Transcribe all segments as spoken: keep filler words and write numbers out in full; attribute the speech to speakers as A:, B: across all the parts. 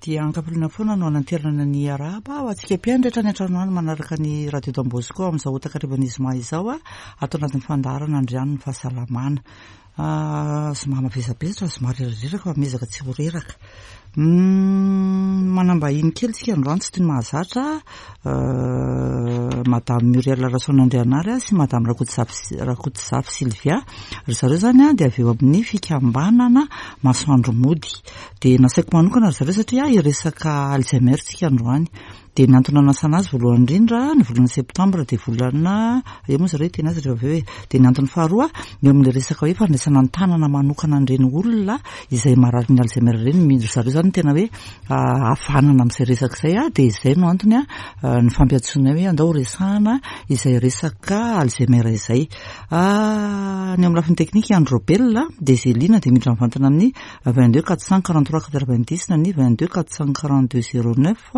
A: Dia an-kafaliana foana no ananterana ny arahaba ho antsika mpihaino rehetra any an-trano any manaraka ny Radio Don Bosco amin'izao takarivan'ny zoma izao a ato anatin'ny fandaharana Andriano ny fahasalamana. Zoma mavesabesatra, zoma rerareraka fa miezaka tsy ho reraka. Manam-bahiny kely tsika androany, tsy toy ny mahazatra, Madame Muriel Rasoanandrianary sy Madame Rakotozafy Rakotozafy Sylvia. Ry zareo zany a dia avy eo amin'ny fikambanana Masoandro Mody. Dia nasaiko manokana ry zareo satria hiresaka Alzheimer tsika androany. Dia ny antony nanasana azy voalohany indrindra, ny volana septambra dia volana eo moa zareo hiteny azy rehefa avy eo e. Dia ny antony faharoa, eo amin'ilay resaka hoe fandraisana an-tanana manokana an'ireny olona izay marary ny Alzheimer ireny, ry zareo zany tena hoe havanana amin'izay resaka izay a, dia izay no antony a ny fampiantsoana hoe andao resahana izay resaka Alzheimer izay. Ny amin'ny lafiny teknika, Andro Robel dia Zelina dia miditra mivantana amin'ny vingt deux quatre cent quarante trois quatre vingt dix na ny vingt deux quatre cent quarante deux zéro neuf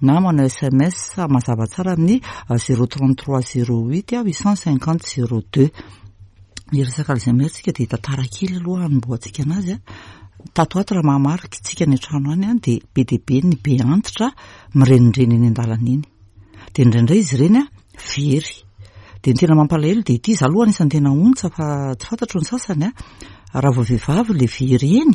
A: na manao S M S mazava tsara amin'ny zéro trente trois zéro huit huit cent cinquante zéro deux. Ny resaka Alzheimer tsika dia tantara kely aloha hanombohantsika anazy a. Tato ato, raha mahamarika tsika ny an-trano any a, dia be dia be ny be antitra mirenireny eny an-dalana iny. Dia indraindray izy ireny a very. Dia ny tena mampalahelo dia ity, za aloha anisan'ny tena ontsa fa tsy fantatro ny sasany a, raha vao vehivavy le very eny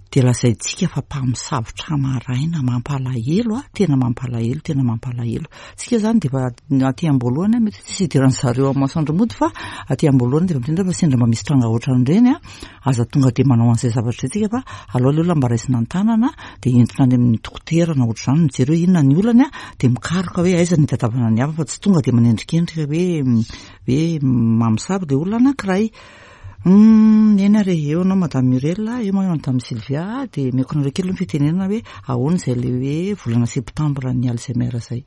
A: dia lazaintsika fa mpamosavitra maraina. Mampalahelo a, tena mampalahelo, tena mampalahelo. Tsika zany dia efa aty am-boalohany a, mety tsy hidiran'ny zareo amin'ny Masoandro Mody, fa aty am-boalohany dia efa miteny fa sendra mba misy tranga ohatran'ireny a, aza tonga dia manao an'izay zavatra izay tsika, fa aleo le olona mba raisina an-tanana dia entina any amin'ny dokotera na ohatr'izany, mijery hoe inona ny olany a, dia mikaroka hoe aiza ny hitadiavana ny havana, fa tsy tonga dia manendrikendrika hoe hoe mamosavy le olona anankiray. Eny ary, eo anao Madame Muriel, eo moa Madame Sylvia, dia omeko anareo kely ny fitenenana hoe ahoana izay le hoe volana septambra ny Alzheimer zay.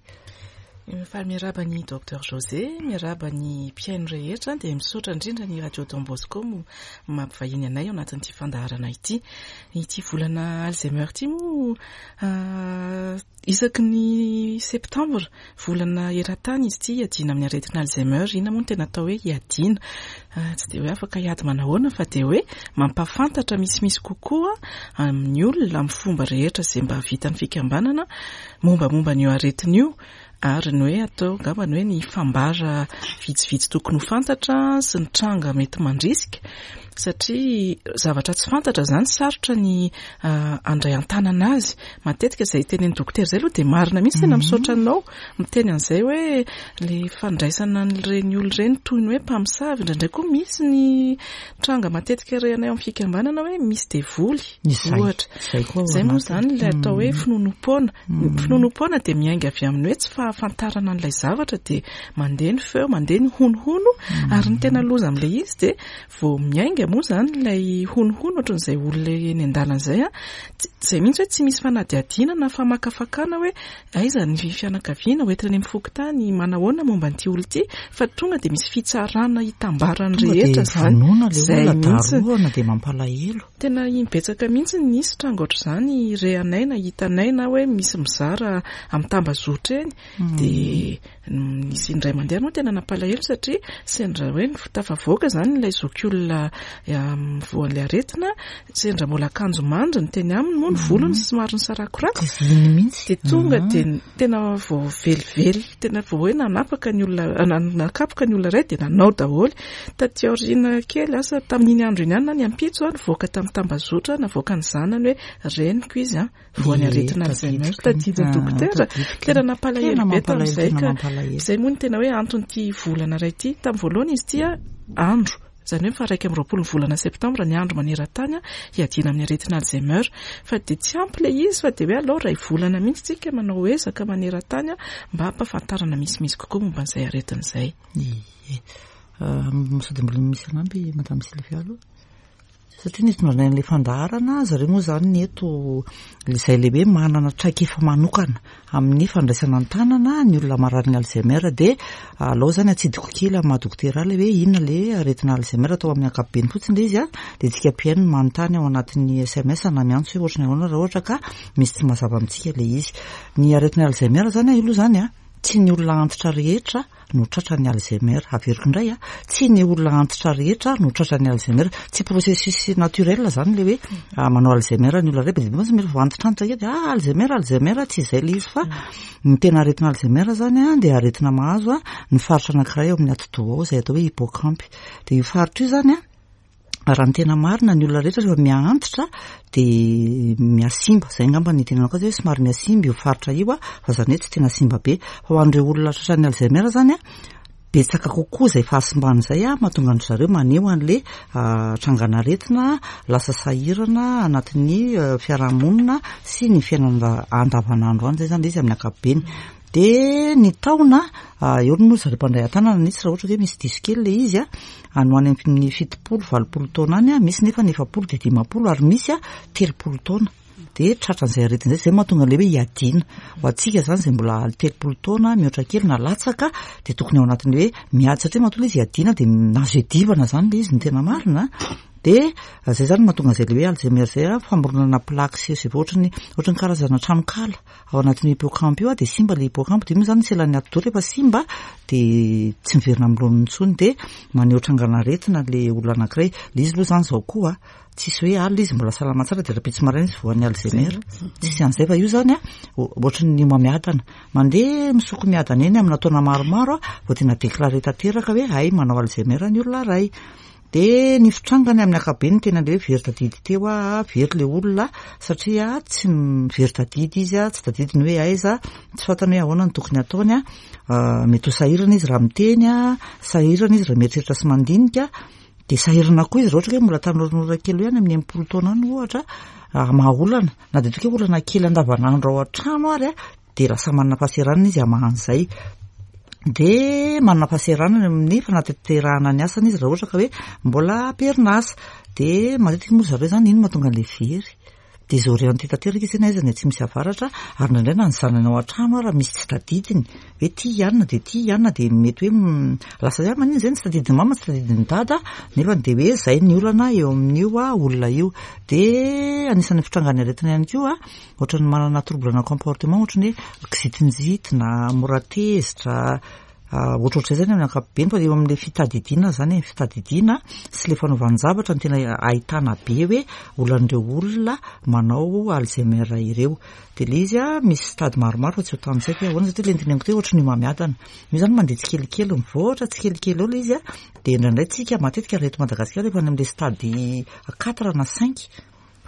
B: Fa miarahaba ny Docteur José, miarahaba ny mpihaino rehetra, dia misaotra indrindra ny Radio Don Bosco mo mampivahiny anay ao anatin'ity fandaharana ity. Ity volana Alzheimer ity moa, isaky ny septambra, volana eran-tany izy ity hiadiana amin'ny aretina Alzheimer. Inona moa no tena atao hoe hiadiana? Tsy dia hoe afaka hiady manahoana, fa dia hoe mampahafantatra misimisy kokoa amin'ny olona amin'ny fomba rehetra izay mba vitan'ny fikambanana mombamomba an'io aretina io, ary ny hoe atao angamba ny hoe ny fambara vitsivitsy tokony ho fantatra sy ny tranga mety mandrisika, satria zavatra tsy fantatra zany sarotra ny andray an-tanana azy matetika. Izay tenen'ny dokotera izay aloha dia marina mihitsy, tena misaotra anao miteny an'izay hoe le fandraisana an'ireny olona ireny toy ny hoe mpamosavy. Indraindray koa misy ny tranga matetika re anay amin'ny fikambanana hoe misy devoly ohatra. Izay moa zany ilay atao hoe finoanoam-poana. Finoanoam-poana dia miainga avy amin'ny hoe tsy fahafantarana an'ilay zavatra, dia mandeha ny feo, mandeha ny honohono, ary ny tena loza amin'ilay izy dia vao miainga moa zany ilay honohono ohatran'izay olona eny an-dalana izay a, izay mihitsy hoe tsy misy fanadihadiana na famakafakana hoe aiza ny fianakaviana, hoentina any amin'ny fokontany, manahoana momba an'ity olona ity, fa tonga dia misy fitsarana hitambarany rehetra zany.
A: Zay mihitsy dia mampalahelo.
B: Tena imbetsaka mihitsy nisy tranga ohatr'izany re anay na hitanay na hoe misy mizara amin'ny tambazotra eny, dia nisy indray mandeha moa tena nampalahelo satria sendra hoe tafavoaka zany ilay zokiolona voan'ilay aretina, sendra mbola akanjo mandry ny teny aminy moa, ny volony somary nisarakorako,
A: mihitsy.
B: Dia tonga dia tena vao velively, tena vao hoe nanapaka ny olona, nakapoka ny olona iray, dia nanao daholo. Taty aoriana kely, asa tamin'iny andro iny ihany na ny ampitso, nivoaka tamin'ny tambazotra, navoaka ny zanany hoe reniko izy a voan'ny aretina Alzheimer, tadidin'ny dokotera. Tena nampalahelo be tamin'izay. Ka izay moa ny tena hoe anton'ity volana iray ity. Tamin'ny voalohany izy ity a andro zany hoe faha raika amby roapolo ny volana septambra ny andro maneran-tany a hiadiana amin'ny aretina Alzheimer, fa dia tsy ampy ilay izy, fa dia hoe alao ray volana mihitsy tsika manao ezaka maneran-tany a mba hampahafantarana misimisy kokoa momba an'izay aretina izay.
A: Ie, sady mbola misy anampy Madame Sylvia aloha, satria nisy tondrana an'ilay fandaharana zareo moa zany ny eto izay lehibe manana traikefa manokana amin'ny fandraisana an-tanana ny olona marary ny Alzheimer. Dia alao zany atsidiko kely amin'ny maha dokotera ilay hoe inona le aretina Alzheimer, atao amin'ny ankapobeny fotsiny ilay izy a, dia tsika mpihaino no manontany ao anatin'ny S M S na miantso hoe ohatry ny ahoana raha ohatra ka misy tsy mazava amintsika ilay izy. Ny aretina Alzheimer zany a, io aloha zany a tsy ny olona antitra rehetra no tratra ny Alzheimer. Averiko indray a, tsy ny olona antitra rehetra no tratra ny Alzheimer. Tsy processus naturel zany le hoe ah, manao Alzheimer ny olona rehetra. Be dia be mantsy mety vao antitrantitra kely dia ah, Alzheimer, Alzheimer, tsy izay le izy, fa ny tena aretina Alzheimer zany a dia aretina mahazo a ny faritra anankiray eo amin'ny atidoha ao, izay atao hoe hippocampe. Dia io faritra io zany a, raha ny tena marina, ny olona rehetra rehefa miha-antitra dia mihasimba. Zay angamba ny tenenako azy hoe somary mihasimba io faritra io a, fa zany hoe tsy tena simba be. Fa ho an'ireo olona tratran'ny Alzheimer zany a, betsaka kokoa izay fahasimbana izay a mahatonga an-dry zareo maneho an'le trangan'aretina, lasa sahirana anatin'ny fiarahamonina sy ny fiainana andavanandro any. Zay zany le izy amin'ny ankapobeny. De ny taona eo moa zareo mpandray an-tanana nisy, raha ohatra hoe misy diso kely le izy a, any ho any amin'ny fitopolo valopolo taona any a, misy nefa ny efapolo de dimampolo, ary misy a telopolo taona de tratran'izay aretina zay. Zay mahatonga an'le hoe hiadiana ho antsika zany, zay mbola telopolo taona mihoatra kely na latsaka, de tokony ao anatin'ny hoe miady, satria mahatonga izy hiadiana de nazo iadivana zany le izy ny tena marina. De zay zany mahatonga an'izay le hoe Alzheimer zay a, famoronana plaque sy sy ohatrany ohatrany karazana tranokala ao anatin'ny hippocampe io a, de simba le hippocampe. De io moa zany selan'ny atidoha rehefa simba de tsy miverina amin'ny laoniny intsony, de maneho trangan'aretina le olona anankiray. Le izy aloha zany zao koa tsisy hoe alina izy mbola salama tsara de rahampitso maraina izy voan'ny Alzheimer, tsisy an'izay. Fa io zany a ohatry ny homamiadana, mandeha misoko miadana eny amina taona maromaro a vao tena déclaré tanteraka hoe ay, manao Alzheimer ny olona ray. De ny fitrangany amin'ny ankapobeny, tena le hoe very tadidy teo a, very le olona satria tsy very tadidy izy a, tsy tadidiny hoe aiza, tsy fantany hoe ahoana ny tokony ataony a. Mety ho sahirana izy raha miteny a, sahirana izy raha mieritreritra sy mandinika, de sahirana koa izy raha ohatra hoe mbola tanoranora kely hoe any amin'ny enimpolo taona any ohatra, maha olana na de toka hoe olana kely andavanandro ao an-trano ary a, de lasa manana fahasahiranana izy hamahan'izay, de manana fahasahiranana amin'ny fanatanterahana ny asany izy raha ohatra ka hoe mbola am-perinasa. De matetika moa zareo zany ino mahatonga an'le very, désorienté tanteraka izy, na aiza ny atsimo sy avaratra. Ary indraindray na ny zanany ao an-trano ara misy tsy tadidiny hoe ty ianina de ty ianina, de mety hoe lasa hoe manino zay ny tsy tadidiny mama, tsy tadidiny dada, nefa de hoe zay ny olana eo amin'io a olona io. De anisan'ny fitrangany aretina ihany koa, ohatran'ny manana trouble na comportement, ohatrany hoe kizitinjitina, mora tezitra, ohatrohatr'izay zany amin'ny ankapobeny. Fa eo amin'le fitadidiana zany, fitadidiana sy le fanaovan-javatra no tena ahitana be hoe olan'ireo olona manao Alzheimer ireo. De le izy a misy stade maromaro, fa tsy ho tantsaiko hoe ahoana, satria le niteneniko teo ohatry ny homamiadana io zany, mandeha tsikelikely, mivoatra tsikelikely eo le izy a. De indraindray tsika matetika raha eto Madagasikara efa any amin'le stade quatre na cinq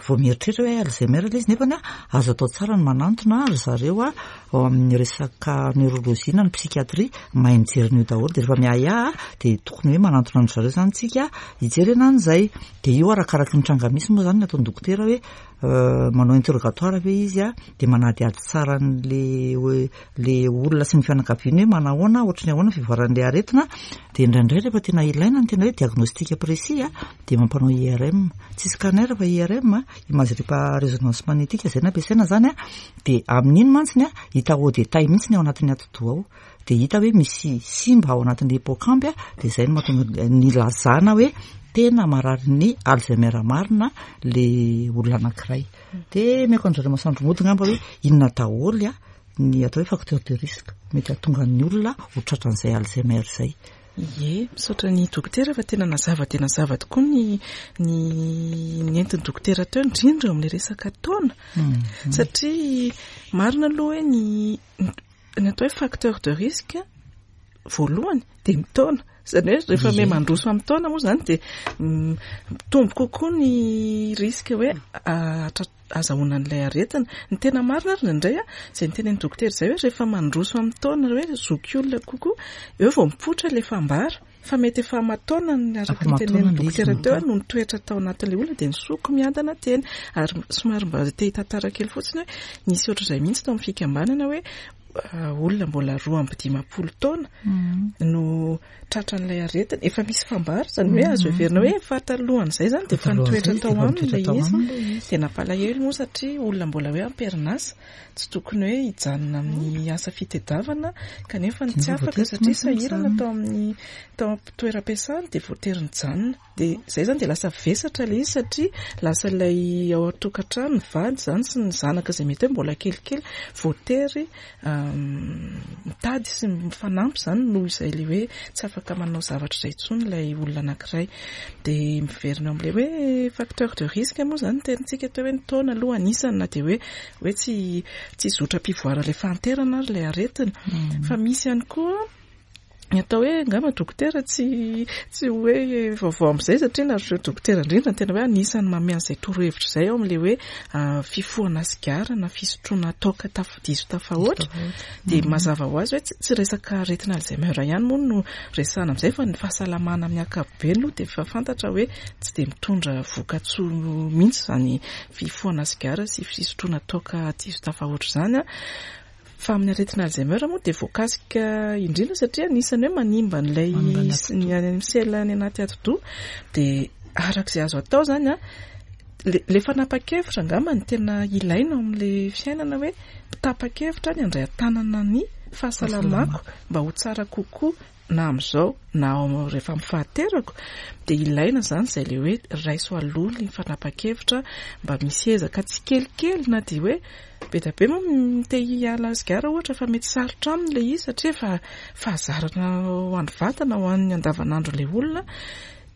A: vao mieritreritra hoe Alzheimer le izy, nefa ny a azo atao tsara ny manantona ry zareo a ao amin'ny resaka neurologie na ny psychiatrie, mahay mijery an'io daholo. De rehefa miahiahy de tokony hoe manantona an-dry zareo zany tsika hijerena an'izay. De io arakaraky ny tranga misy moa zany ny ataon'ny dokotera hoe manao interrogatoire ve izy a, de manadihady tsara an'le hoe le olona sy ny fianakaviany hoe manahoana, ohatry ny ahoana fivoaran'le aretina. De indraindray rehefa tena ilaina ny tena hoe diagnostic précis a, de mampanao I R M, tsy scanner fa I R M, imagerie par résonance magnétique zay nampiasaina zany a. De amin'iny mantsiny a hita au détail mihitsy ny ao anatin'ny atidoha ao, de hita hoe misy simba ao anatin'ny hippocampe a, de zay no mahatonga ny lazana hoe tena marary ny Alzheimer marina le olona anankiray. De miako an-jareo masoandro mody ngamba hoe inona daholo a ny atao hoe facteur de risque mety hahatonga ny olona ho tratran'izay Alzheimer zay?
B: Ie, misaotra ny dokotera fa tena nazava de nazava tokoa ny ny nentin'ny dokotera teo, indrindra eo amin'le resaka taona, satria marina aloha hoe ny ny atao hoe facteur de risque voalohany de mitaona, zany hoe rehefa me mandroso amin'ny taona moa zany de mitombo kokoa ny risque hoe azahoana an'ilay aretina. Ny tena marina ary indraindray a, zay nitenen'ny dokotera zay hoe rehefa mandroso amin'ny taona, hoe zoky olona kokoa eo vao mipoitra le fambara, fa mety efa mataona ny araka ny tenen'ny dokotera teo no nitoetra tao anatin'ilay olona, de nisoko miadana teny. Ary somary mba te hitantara kely fotsiny hoe nisy ohatr'izay mihitsy tao amin'ny fikambanana, hoe olona mbola roa amby dimampolo taona no tratran'ilay aretina, efa misy fambara, zany hoe azo heverina hoe efa talohan'izay zany de efa nitoetra tao aminy ilay izy. De nampalahelo moa satria olona mbola hoe am-perinasa, tsy tokony hoe hijanona amin'ny asa fitadiavana, kanefa ny tsy afaka satria sahirana tao amin'ny tao am-toeram-piasana, de voatery nijanona. De zay zany de lasa vesatra ilay izy, satria lasa ilay ao an-tokantrano, ny vady zany sy ny zanaka izay mety hoe mbola kelikely, voatery Mitady sy mifanampy izany noho izay ilay hoe tsy afaka manao zavatra izay intsony ilay olona anankiray. Dia miverina eo amin'ilay hoe facteur de risque moa izany tenintsika teo hoe ny taona aloha anisany, na dia hoe hoe tsy tsy zotram-pivoaran'ilay fahanterana ary ilay aretina. Fa misy ihany koa ny atao hoe, angamba dokotera tsy tsy hoe vaovao amin'izay, satria nareo dokotera indrindra no tena hoe anisan'ny manome an'izay torohevitra izay ao amin'ilay hoe fifohana sigara na fisotroana toaka taf- diso tafahoatra. Dia mazava ho azy hoe tsy resaka aretina Alzheimer ihany moa no resahana amin'izay, fa ny fahasalamana amin'ny ankapobeny aloha dia efa fantatra hoe tsy dia mitondra vokatsoa mihitsy izany fifohana sigara sy fisotroana toaka diso tafahoatra izany. Fa amin'ny aretina Alzheimer moa dia voakasika indrindra, satria anisan'ny hoe manimba an'ilay ny sela any anaty atidoha. Dia arak'izay azo atao izany a, le fanapa-kevitra angamba no tena ilaina ao amin'ilay fiainana, hoe mitapa-kevitra ny handray an-tanana ny fahasalamako mba ho tsara kokoa na amin'izao na rehefa amin'ny fahaterako. Dia ilaina izany izay ilay hoe raiso aloha ny fanapa-kevitra mba misy ezaka tsikelikely, na dia hoe be dia be moa te hiala sigara ohatra fa mety sarotra aminy ilay izy satria efa fahazarana ho an'ny vatana, ho an'ny andavanandro ilay olona.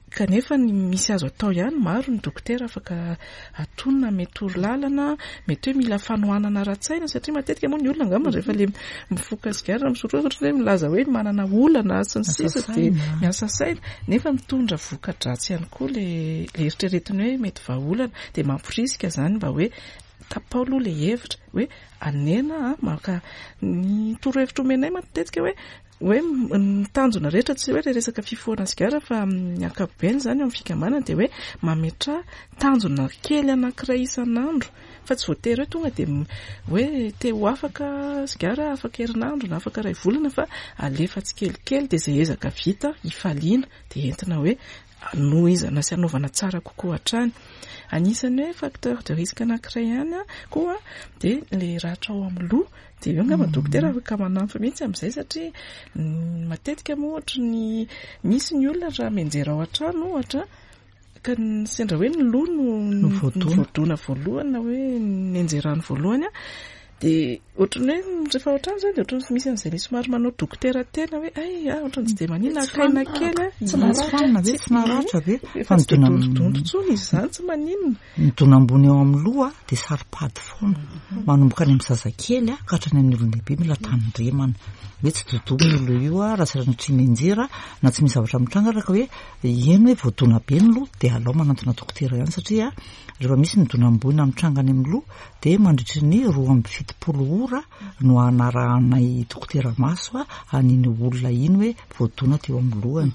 B: Kanefa ny misy azo atao ihany, maro ny dokotera afaka atonina, mety toro lalana, mety hoe mila fanohanana ara-tsaina, satria matetika moa ny olona angamba rehefa le mifoka sigara na misotro ohatra hoe milaza hoe manana olana sy ny sisa, dia miasa saina, nefa mitondra voka-dratsy ihany koa le le eritreretina hoe mety vahaolana. Dia mamporisika izany mba hoe tapao aloha le hevitra hoe anena maka ny torohevitra omenay matetika hoe hoe ny tanjona rehetra tsy hoe resaka fifohana sigara, fa amin'ny ankapobeny izany eo amin'ny fikambanana dia hoe mametraha tanjona kely anankiray isan'andro, fa tsy voatery hoe tonga dia hoe te ho afaka sigara afaka herinandro na afaka iray volana, fa alefa tsikelikely dia izay ezaka vita hifaliana dia entina hoe anohizana sy anaovana tsara kokoa hatrany. Anisan'ny hoe facteur de risque anankiray ihany koa dia ilay ratra ao amin'ny loha. Dia eo angamba dokotera afaka manampy mihitsy amin'izay, satria matetika moa ohatry ny misy ny olona raha mianjera ao an-trano ohatra ka sendra hoe ny loha no voadona voalohany na hoe nianjerany voalohany, dia ohatry ny hoe rehefa ao an-trano izany dia ohatry ny misy an'izay somary manao dokotera tena hoe ay ah ohatry ny tsy dia maninona akaina kely a,
A: tsy naratra ve, tsy naratra ve,
B: fa tsy dia dondrodondro intsony izy izany, tsy maninona.
A: Ny dona ambony eo amin'ny loha dia saro-pady foana, manomboka any amin'ny zazakely ka hatrany amin'ny olon-dehibe mila tandremana hoe tsy dodoma io loha io raha sanatria mianjera na tsy misy zavatra mitranga, raha ka hoe eny hoe voadona be ny loha dia alao manantona dokotera ihany, satria rehefa misy ny dona ambony mitranga any amin'ny loha dia mandritry ny roa amby fitopolo ora no anarahanay dokotera maso an'iny olona iny hoe voadona teo amin'ny lohany.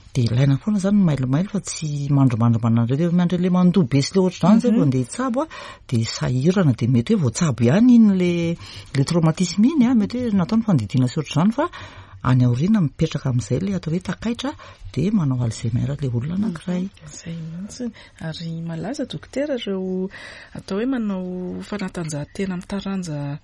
A: Dia ilaina foana izany ny mailomailo fa tsy mandrimandry manandre rehefa miandry ilay mandoa be sy ilay ohatr'izany izay vao andeha hitsabo dia sahirana, dia mety hoe voatsabo ihany iny le le traumatisme iny, mety hoe natao ny fandidiana sy ohatr'izany, fa any aoriana mipetraka amin'izay ilay atao hoe takaitra dia manao Alzheimer ilay olona anankiray.
B: Izay mihitsy. Ary malaza dokotera ireo atao hoe manao fanatanjahantena amin'ny taranja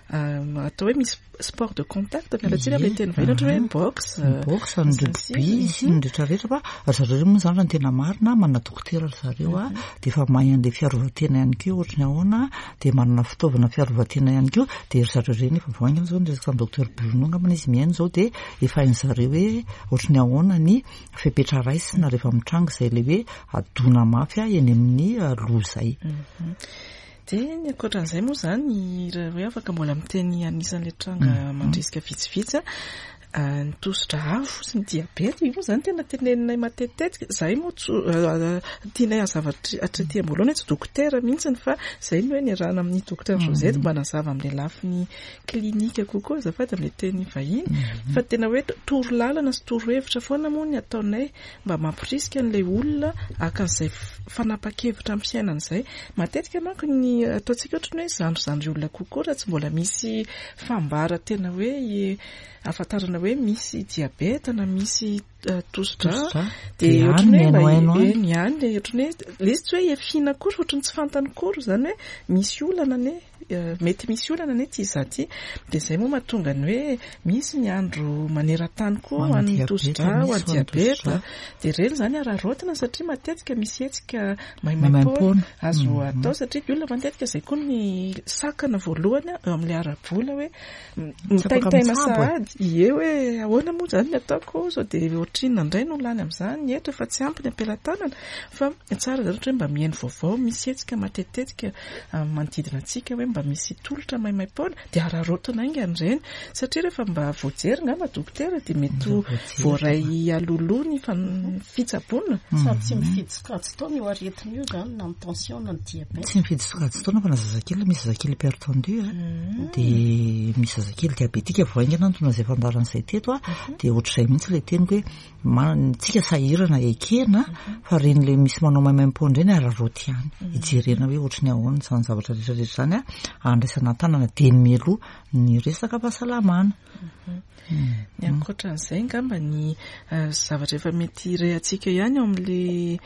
B: atao hoe misy sport de contact, miala tsiny amin'ilay teny vahiny, ohatra hoe boxe,
A: boxe, ny rugby sy ny rehetrarehetra, fa ry zareo moa izany raha ny tena marina manana dokotera ry zareo a, dia efa mahay an'ilay fiarovan-tena ihany koa ohatry ny ahoana, dia manana fitaovana fiarovan-tena ihany koa, dia ry zareo ireny efa vao haingana izao ny resaka tamin'ny docteur Bruno angamba izy mihaino izao, dia efa hain'ny zareo hoe ohatry ny ahoana ny fepetra raisina rehefa mitranga izay ilay hoe adona mafy eny amin'ny loha izay.
B: Dia ny ankoatran'izay moa izany raha hoe afaka mbola miteny anisan'ilay tranga mandrisika vitsivitsy, ny tosidra avo sy ny diabeta io moa izany tena teneninay matetitetika. Izahay moa tianay hazava hatraty am-boalohany hoe tsy dokotera mihitsy, fa izay no hoe niarahana amin'ny dokotera Josette mba nazava amin'ilay lafiny klinika kokoa azafady amin'ilay teny vahiny, fa tena hoe toro lalana sy toro hevitra foana moa ny ataonay mba mampirisika an'ilay olona haka an'izay fanapa-kevitra amin'ny fiainana izay. Matetika manko ny ataontsika ohatry ny hoe zandrizandry olona kokoa raha tsy mbola misy fambara tena hoe ahafantarana hoe misy diabeta na misy tosidra, dia ohatry ny hoe mba eny ihany, ohatry ny hoe ilay izy tsy hoe efiana akory, ohatry ny tsy fantany akory izany hoe misy olana anie mety misy olana anie ty izaho ty. Dia izay moa mahatonga ny hoe misy ny andro maneran-tany koa ho an'ny tosidra, ho an'ny diabeta. Dia ireny izany araraotina satria matetika misy hetsika maimaimpoana azo atao, satria ny olona matetika izay koa ny sakana voalohany eo amin'ilay ara-bola hoe mitaintaina sahady. Ie hoe ahoana moa izany ny ataoko sao dia ohatrinona indray no lany amin'izany, ny hetra efa tsy ampy ny am-pelatanana. Fa tsara izany ohatra hoe mba mihaino vaovao, misy hetsika matetitetika manodidina antsika hoe mba misy tolotra maimaimpoana, dia araraotina haingana ireny, satria rehefa mba voajery ngamba dokotera dia mety ho voaray alohaloha ny fitsaboana.
C: Sady tsy mifidy sokajin-taona io aretina io izany, na ny tension na ny diabeta.
A: Tsy mifidy sokajin-taona fa na zazakely, misy zazakely hypertendu dia misy zazakely diabetika vao haingana no tonga izay fandaharana izay teto a, dia ohatr'izay mihitsy ilay teniko hoe mantsika sahirana ekena fa ireny ilay misy manao maimaimpoana ireny araraoty ihany, hijerena hoe ohatry ny ahoana izany zavatra rehetra rehetra izany a, andraisana an-tanana dieny mialoha ny resaka fahasalamana.
B: Ny ankoatran'izay angamba ny zavatra efa mety rehantsika ihany eo amin'ilay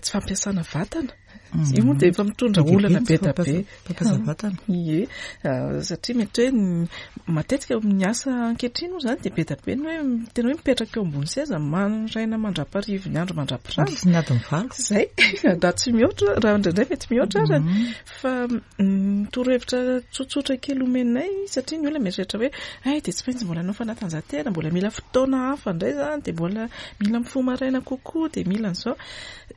B: tsy fampiasana vatana. Io moa dia efa mitondra olana be dia be.
A: Fampiasana vatana.
B: Ie, satria mety hoe matetika amin'ny asa ankehitriny moa izany dia be dia be ny hoe tena hoe mipetraka eo ambony seza maraina mandra-pariva ny andro mandra-pirava.
A: Mandritry ny adiny valo.
B: Izay, raha tsy mihoatra, raha indraindray mety mihoatra ary. Fa torohevitra tsotsotra kely omenay, satria ny olona mieritreritra hoe ay dia tsy maintsy mbola hanao fanatanjahantena, mbola mila fotoana hafa indray izany, dia mbola mila mifoha maraina kokoa, dia mila an'izao.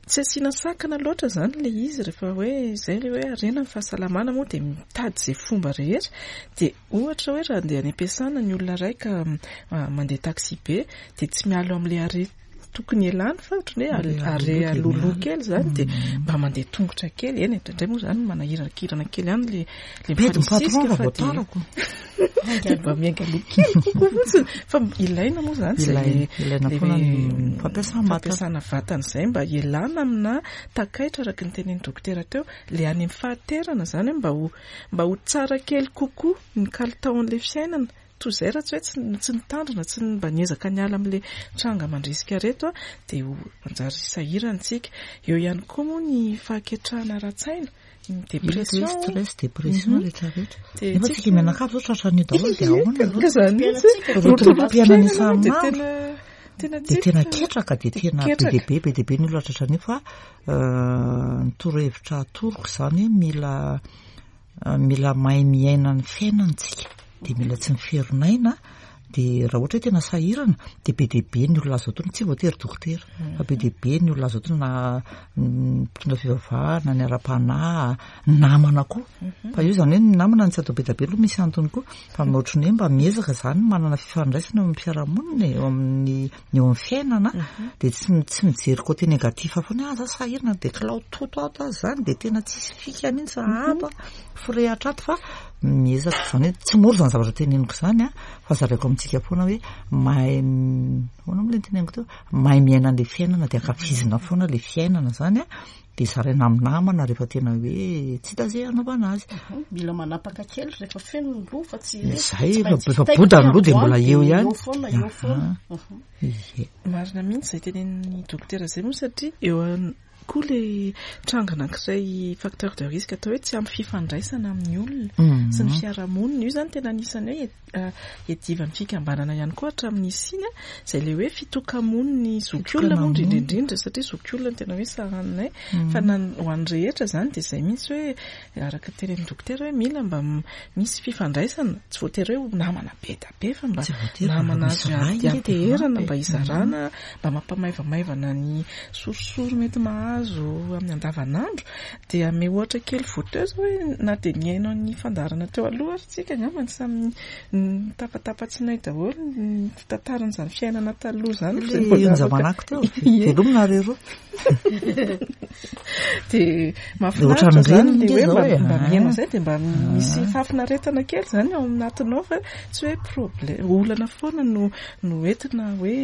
B: Tsy asiana sakana loatra izany ilay izy rehefa hoe izay ilay hoe harena ny fahasalamana moa dia mitady izay fomba rehetra. Dia ohatra hoe raha andeha any am-piasana ny olona iray ka mandeha taxi be dia tsy miala amin'ilay arrêt tokony elany fa ohatran'ny hoe arrêt alohaloha kely izany, dia mba mandeha tongotra kely. Eny, indraindray moa izany manahirakirana kely ihany ilay ilay mifanisisika fa dia mba miainga aloha kely kokoa fotsiny. Fa ilaina moa izany izay
A: ilaina foana ny
B: fampiasana vatana izay mba hialana amina takaitra araka ny tenin'ny dokotera teo, ilay any amin'ny fahaterana izany hoe mba ho mba ho tsara kely kokoa ny kalitaon'ilay fiainana. Toy izay raha tsy hoe tsy nitandrina, tsy mba niezaka niala amin'ilay tranga mandrisika reto a, dia ho manjary sahirana isika. Eo ihany koa moa ny fahaketrahana ara-tsaina, ny dépression,
A: stress, dépression rehetra rehetra. Nefa tsika mianakavy zao tratran'io daholo dia ahoana aloha?
B: Izany mihitsy.
A: Rotorom-piainana isan'andro.
B: Tena
A: Dia tena ketraka, dia tena be dia be, be dia be ny olona tratran'io fa ny torohevitra atoroko izany hoe mila mila mahay miaina ny fiainana tsika, dia mila tsy miferinaina. Dia raha ohatra hoe tena sahirana dia be dia be ny olona azo atoro, tsy voatery dokotera fa be dia be ny olona azo atoro, na mpitondra fivavahana, ny ara-panahy, namana koa. Fa io izany hoe ny namana tsy atao be dia be aloha, misy antony koa, fa ohatran'ny hoe mba miezaka izany manana fifandraisana eo amin'ny fiarahamonina, eo amin'ny eo amin'ny fiainana, dia tsy tsy mijery côté négatif foana hoe ah za sahirana dia kilao toto ato aho izany, dia tena tsisy fika mihitsy ato firehatra ato, fa miezaka izany hoe tsy mora izany zavatra teneniko izany a, fa zaraiko amintsika foana hoe mahay ahoana moa ilay teneniko teo, mahay miaina an'ilay fiainana dia ankafizina foana ilay fiainana izany a, dia zaraina amin'ny namana rehefa tena hoe tsy hita izay hanaovana azy.
C: Mila manapaka kely rehefa feno ny loha fa tsy
A: Izay, efa boda ny loha dia mbola eo ihany.
C: Eo foana, eo foana.
A: Ie.
B: Marina mihitsy izay tenenin'ny dokotera izay moa, satria eo koa ilay tranga anankiray facteur de risque atao hoe tsy ampy fifandraisana amin'ny olona sy ny fiarahamonina. Io izany tena anisan'ny hoe iadivan'ny fikambanana ihany koa hatramin'ny nisiana, izay ilay hoe fitokamonin'ny zokiolona moa indrindra indrindra, satria zokiolona no tena hoe sahaninay, fa na ho an'ny rehetra izany dia izay mihitsy hoe araka ny tenenin'ny dokotera hoe mila mba misy fifandraisana, tsy voatery hoe ho namana be dia be fa mba
A: Tsy voatery fa
B: namana
A: misy
B: azo
A: ray nge dia
B: ianteherana, mba
A: mampy.
B: hizarana, mba mampamaivamaivana ny sorisory mety mahazo amin'ny andavanandro. Dia ame ohatra kely voateo zao hoe na dia nihaino ny fandaharana teo aloha ary tsika angamba ny samy nitapatapa-tsinay daholo ny fitantaran'izany fiainana taloha izany.
A: Ilay
B: Izay mbola afaka
A: zamanako teo,
B: Ie.
A: velomina ry roa.
B: Dia mahafinaritra
A: Ohatran'ireny
B: izany ilay
A: nge
B: hoe
A: zao
B: mba
A: e.
B: mba mihaino izay dia mba misy
A: Ah.
B: fahafinaretana kely izany ao anatinao, fa tsy hoe problème olana foana no no entina hoe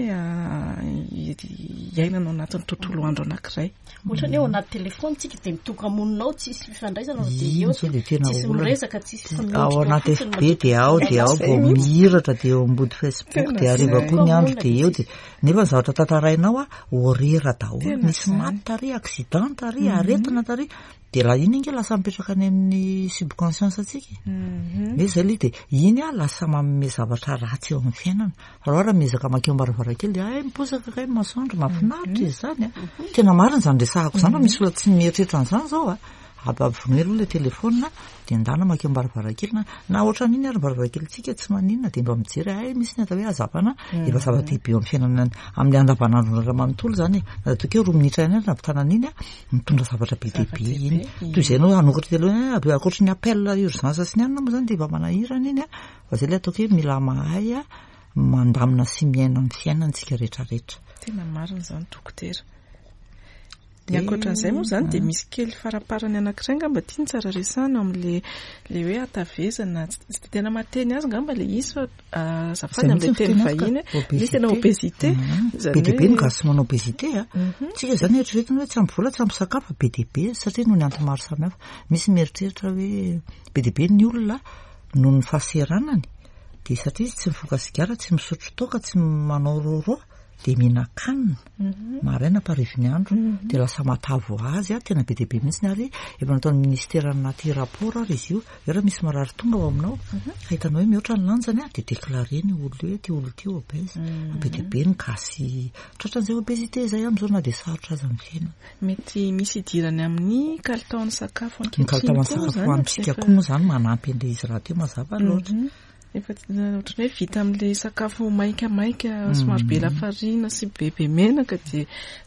B: iainana ao anatin'ny tontolo andro anankiray.
C: Ohatran'ny hoe ao anaty telefony tsika dia mitoka-monina ao, tsisy fifandraisana fa dia
A: Iny
C: eo
A: zao dia tena
C: tsisy
A: olana.
C: miresaka, tsisy
A: Ao anaty
C: fotsiny
A: F B dia ao, dia ao vao mihiratra, dia eo ambody Facebook,
B: Tena
A: dia hariva
B: izay.
A: koa ny andro dia eo, dia nefa ny zavatra tantarainao a, horera daholo,
B: Tena
A: misy
B: izany.
A: maty tary, accident. Accident tary, aretina tary, de raha iny inge lasa mipetraka any amin'ny subconscience atsika hoe zay le de iny a lasa manome zavatra ratsy eo amin'ny fiainana. Raha raha miezaka makeo am-baravarankely de ay miposaka kay masoandro, mahafinaritra izy zany a. Tena marina zany resahako zany, fa misy olona tsy mieritreritra an'izany zao a. Ampavonoy aloha le telefona de ndana makeo am-baravarankely na na ohatran'iny ary varavarankely tsy maninona, de mba mijery ay misy ny atao hoe hazavana, efa zava-dehibe eo amin'ny fiainana amin'ny andavanandro raha manontolo zany e. Na ataoko hoe roa minitra ihany ary nampitana an'iny a, mitondra zavatra be dia be iny. Toy izay anao hanokatra télé avy ankoatry ny appel urgence sy ny anona moa zany de efa manahirana iny a. Fa zay le ataoko hoe mila mahay a mandamina sy miaina ny fiainantsika rehetrarehetra.
B: Tena marina izany, dokotera. Ny ankoatran'izay moa zany dia misy kely faraparany anankiray angamba tia ny tsara resahana amin'le le hoe hatavezana, tsy de tena mahateny azy angamba le izy fa azafady amin'le teny vahiny, misy tena obésité.
A: Be dia be ny gasy manao obésité a. Tsika zany eritreretina hoe tsy ampy vola, tsy ampy sakafo, be dia be satria noho ny antony maro samihafa. Misy mieritreritra hoe be dia be ny olona noho ny fahaseranany dia satria izy tsy mifoka sigara, tsy misotro toaka, tsy manao roro, dia mihinan-kanina maraina ampariviny andro, dia lasa matavy ho azy a. Tena be dia be mihitsy ary efa nataon'ny ministera anaty rapport ary izy io hoe raha misy marary tonga ao aminao ka hitanao hoe mihoatra ny lanjany a, dia déclaré-ny olona hoe ty olona ty obèse. Be dia be ny gasy tratran'izay obésité zay amin'izao na dia sarotra aza ny fiainana.
B: Mety misy idirany amin'ny kalitaon'ny sakafo
A: ny kalitaon'ny sakafo hohanintsika koa moa zany manampy an'ilay izy rahateo mazava loatra.
B: Efa ohatran'ny hoe vita amin'ilay sakafo maikamaika somary be lafarina sy bebe menaka dia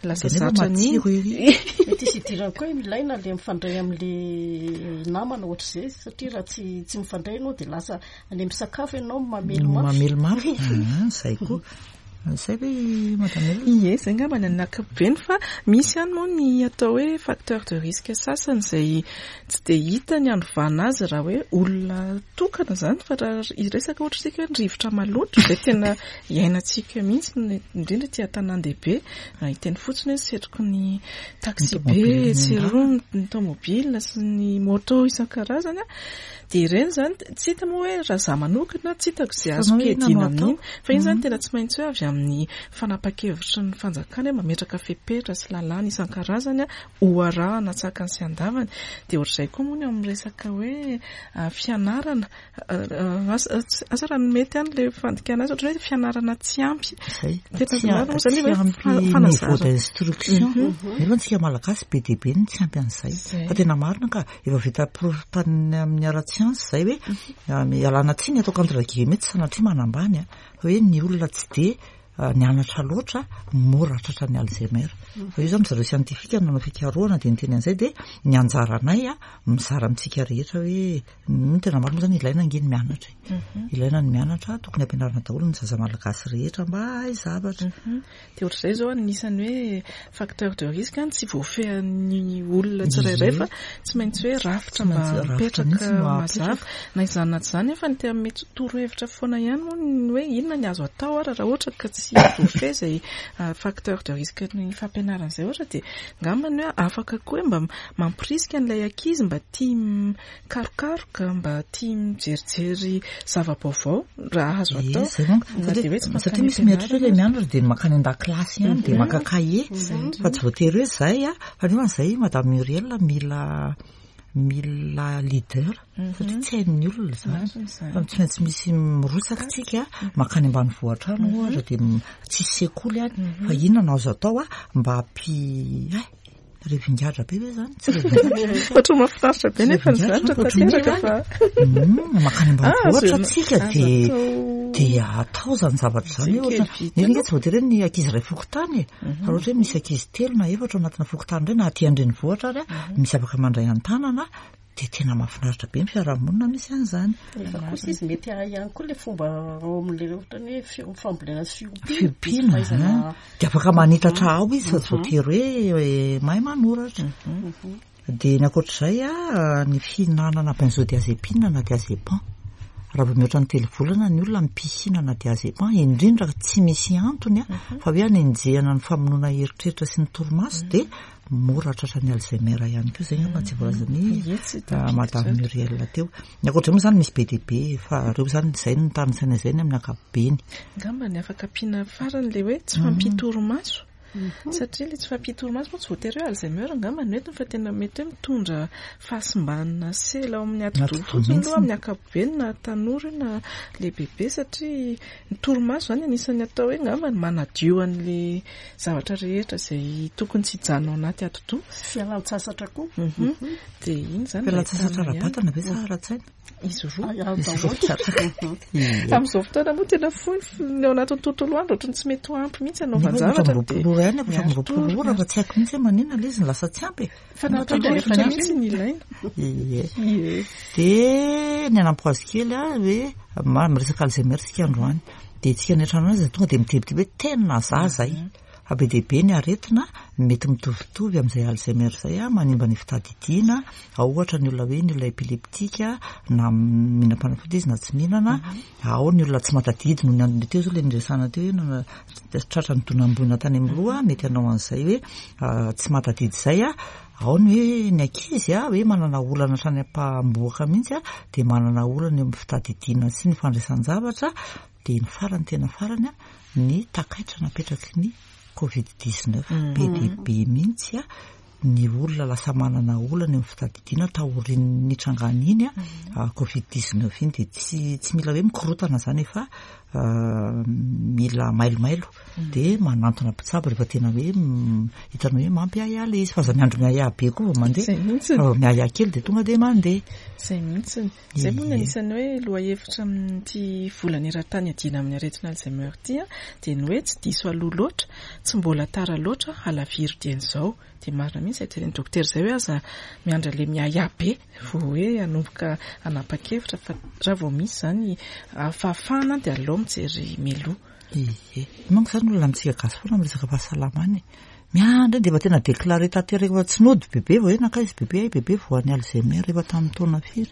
B: lasa
A: Dia nefa
B: zatra an'iny.
A: matsiro ery.
C: Mety hisy idirany koa hoe ilaina le mifandray amin'le namana ohatr'izay, satria raha tsy tsy mifandray ianao dia lasa any amin'ny sakafo ianao mamely mafy.
A: Mamely mafy. Ah, zay koa. Zay ve madame Elina?
B: Ie, zay angamba ny ankapobeny, fa misy ihany moa ny atao hoe facteur de risque sasany izay tsy dia hita ny anovana azy raha hoe olona tokana zany, fa raha hiresaka ohatra isika hoe ny rivotra maloto izay tena iainantsika mihitsy, indrindra aty an-tanàn-dehibe, raha hiteny fotsiny hoe setroky ny taxi be sy roa ny tomobile sy ny moto isan-karazany a, dia ireny zany tsy hita moa hoe raha za manokana tsy hitako izay azoko iadiana amin'iny, fa iny zany tena tsy maintsy hoe avy amin'ny fanapahan-kevitry ny fanjakana hoe mametraka fepetra sy lalàna isan-karazany a ho arahana tsakany sy andavany. Dia ohatr'izay koa moa ny amin'ny resaka hoe fianarana, asa raha mety ihany ilay fandikana azy, ohatran'ny hoe fianarana tsy ampy.
A: Zay.
B: Tena
A: Tsy
B: marina moa zany hoe
A: ampy
B: fanazarana.
A: niveau d'instruction. Nefa antsika malagasy be dia be ny tsy ampy an'izay.
B: Zay.
A: Fa tena marina ka efa vita preuve tany amin'ny ara-tsiansa zay hoe ialana tsiny ataoko entre guillemets, tsy sanatria manambany a, fa hoe ny olona tsy dia nianatra loatra mora tratra ny Alzheimer. Fa io zany zareo scientifique nanao fikarohana dia niteny an'izay, dia ny anjaranay a mizara amintsika rehetra hoe ny tena marina moa zany ilaina ange ny mianatra. Ilaina ny mianatra, tokony ampianarina daholo ny zaza malagasy rehetra mba hahay zavatra.
B: Dia ohatr'izay zao anisan'ny hoe facteur de risque any tsy voafehin'ny olona tsirairay fa tsy maintsy hoe rafitra mba
A: Tsy maintsy rafitra
B: mipetraka
A: mihitsy no
B: mazava.
A: apetraka.
B: Na izany na tsy izany efa ny tena mety torohevitra foana ihany moa ny hoe inona ny azo atao ary raha ohatra ka tsy voafehy izay facteur de risque ny fampianarana izay ohatra, dia angamba ny hoe afaka koa hoe mba mampirisika an'ilay ankizy mba tia mikarokaroka, mba tia mijerijery zava-baovao raha azo
A: Ie,
B: atao.
A: zay manko.
B: Na dia hoe tsy
A: Satria
B: mankany
A: satria misy mieritreritra hoe ilay
B: am-pianarana.
A: mianatra dia mankany an-dakilasy ihany, dia maka kahie, fa tsy voatery hoe zay a. Fa nefa zay madame Muriel mila mila leader satria tsy hain'ny olona zany.
B: Marina izany.
A: Fa tsy maintsy misy mirotsaka tsika mankany ambanivohitra any ohatra, dia tsisy sekoly any, fa inona no azo atao a mba hampi ay revingadra be ve zany? Tsy revingadra.
B: Ohatra mahafinaritra be nefa ny zavatra tanteraka fa
A: Mm, mankany ambanivohitra
B: Ah, azo-
A: tsika
B: azo
A: dia
B: atao.
A: dia atao zany zavatra zany
B: Zay
A: hoe ohatra
B: kely vita.
A: nefa nge tsy voatery hoe ny ankizy iray fokontany e. Fa raha ohatra hoe misy ankizy telo na efatra ao anatina fokontany ireny na aty an-drenivohitra ary a, misy afaka mandray an-tanana, dia tena mahafinaritra be ny fiarahamonina misy an'izany.
C: Nefa kosa izy mety hahay ihany koa ilay fomba ao amin'ilay ohatrany hoe fi- fambolena sy fiompiana.
A: Fiompiana,
C: Fahaizana-
A: ah. Dia afaka manitatra ao izy fa tsy voatery hoe eh, mahay manoratra. Dia ny ankoatr'izay a, ny fihinanana benzodiazépine na diazépam. Raha vao mihoatra ny telo volana ny olona mipihinana diazépam, indrindra tsy misy antony a, fa hoe anenjehana ny famonoana eritreritra sy ny torimaso, dia mora tratra ny Alzheimer ihany koa. Zay angamba tsy voalazan'ny
B: Ie, tsy
A: ah,
B: tafiditra.
A: madame Muriel teo. Ny ankoatr'izay moa zany misy be dia be, fa ireo zany zay no tanisaina izay ny amin'ny ankapobeny.
B: Angamba ny afaka ampiana farany ilay hoe tsy fampitoromaso. Satria ilay tsy fahampian-torimaso moa tsy voatery hoe Alzheimer angamba no entiny fa tena mety hoe mitondra fahasimbana sela ao amin'ny atidoha fotsiny aloha amin'ny ankapobeny na tanora io na lehibebe satria ny torimaso izany anisan'ny atao hoe angamba ny manadio an'ilay zavatra rehetra izay tokony tsy hijanona ao anaty atidoha.
C: Fialan-tsasatra koa.
B: Dia iny izany
A: Fialan-tsasatra ara-batana ve sa ara-tsaina?
B: Izy roa.
A: Izy roa tsara.
B: Amin'izao fotoana moa tena fohy ny ao anatin'ny tontolo andro ohatran'ny tsy mety ho ampy mihitsy hanaovan-javatra
A: dia roa ihany efatra amby roapolo ora fa tsy haiko mihitsy hoe maninona ilay izy no lasa tsy ampy e.
B: Fanapahan-kevitra mihitsy ny ilaina.
A: Ie. Dia ny hanampy azy kely aho hoe miresaka Alzheimer isika androany. Dia tsika any an-trano any izay tonga dia mitebiteby hoe tena za zay. Fa be dia be ny aretina mety mitovitovy amin'izay Alzheimer izay a, manimba ny fitadidiana. Ao ohatra ny olona hoe ny olona epileptika na mihinam-panafody izy na tsy mihinana. Ao ny olona tsy mahatadidy noho ny antony teo izao ilay niresahana teo hoe tratra ny donam-boina tany amin'ny loha, mety hanao an'izay hoe tsy mahatadidy izay a. Ao ny hoe ny ankizy a, hoe manana olana hatrany am-pamboaka mihitsy a, dia manana olana eo amin'ny fitadidiana sy ny fandraisan-javatra. Dia ny farany tena farany a, ny takaitra napetraky ny covid dix-neuf. Be dia be mihitsy a, ny olona lasa manana olana eo amin'ny fitadidiana taorian'ny nitrangana iny a, covid dix-neuf iny. Dia tsy, tsy mila hoe mikorotana izany fa mila mailomailo dia manantona mpitsabo rehefa tena hoe hitanao hoe mampiahiahy ilay izy, fa aza miandry miahiahy be koa vao mandeha.
B: Izay mihitsy.
A: Fa vao miahiahy kely dia tonga dia mandeha.
B: Izay mihitsy. Izay moa ny anisan'ny hoe lohahevitra amin'ity volana eran-tany iadiana amin'ny aretina Alzheimer ity a, dia ny hoe tsy diso aloha loatra, tsy mbola tara loatra, halaviro dieny izao. Dia marina mihitsy izay tenenin'ny dokotera izay hoe aza miandry an'ilay miahiahy be vao hoe hanomboka hanapa-kevitra, fa raha vao misy izany fahafahana dia aleo mijery mialoha.
A: Ie. Manko izany olona amintsika gasy foana miresaka fahasalamana e. Miandry dia efa tena déclaré tanteraka efa tsy nody bebe vao hoe nankaiza bebe, ay bebe voan'ny Alzheimer efa tamin'ny taona firy.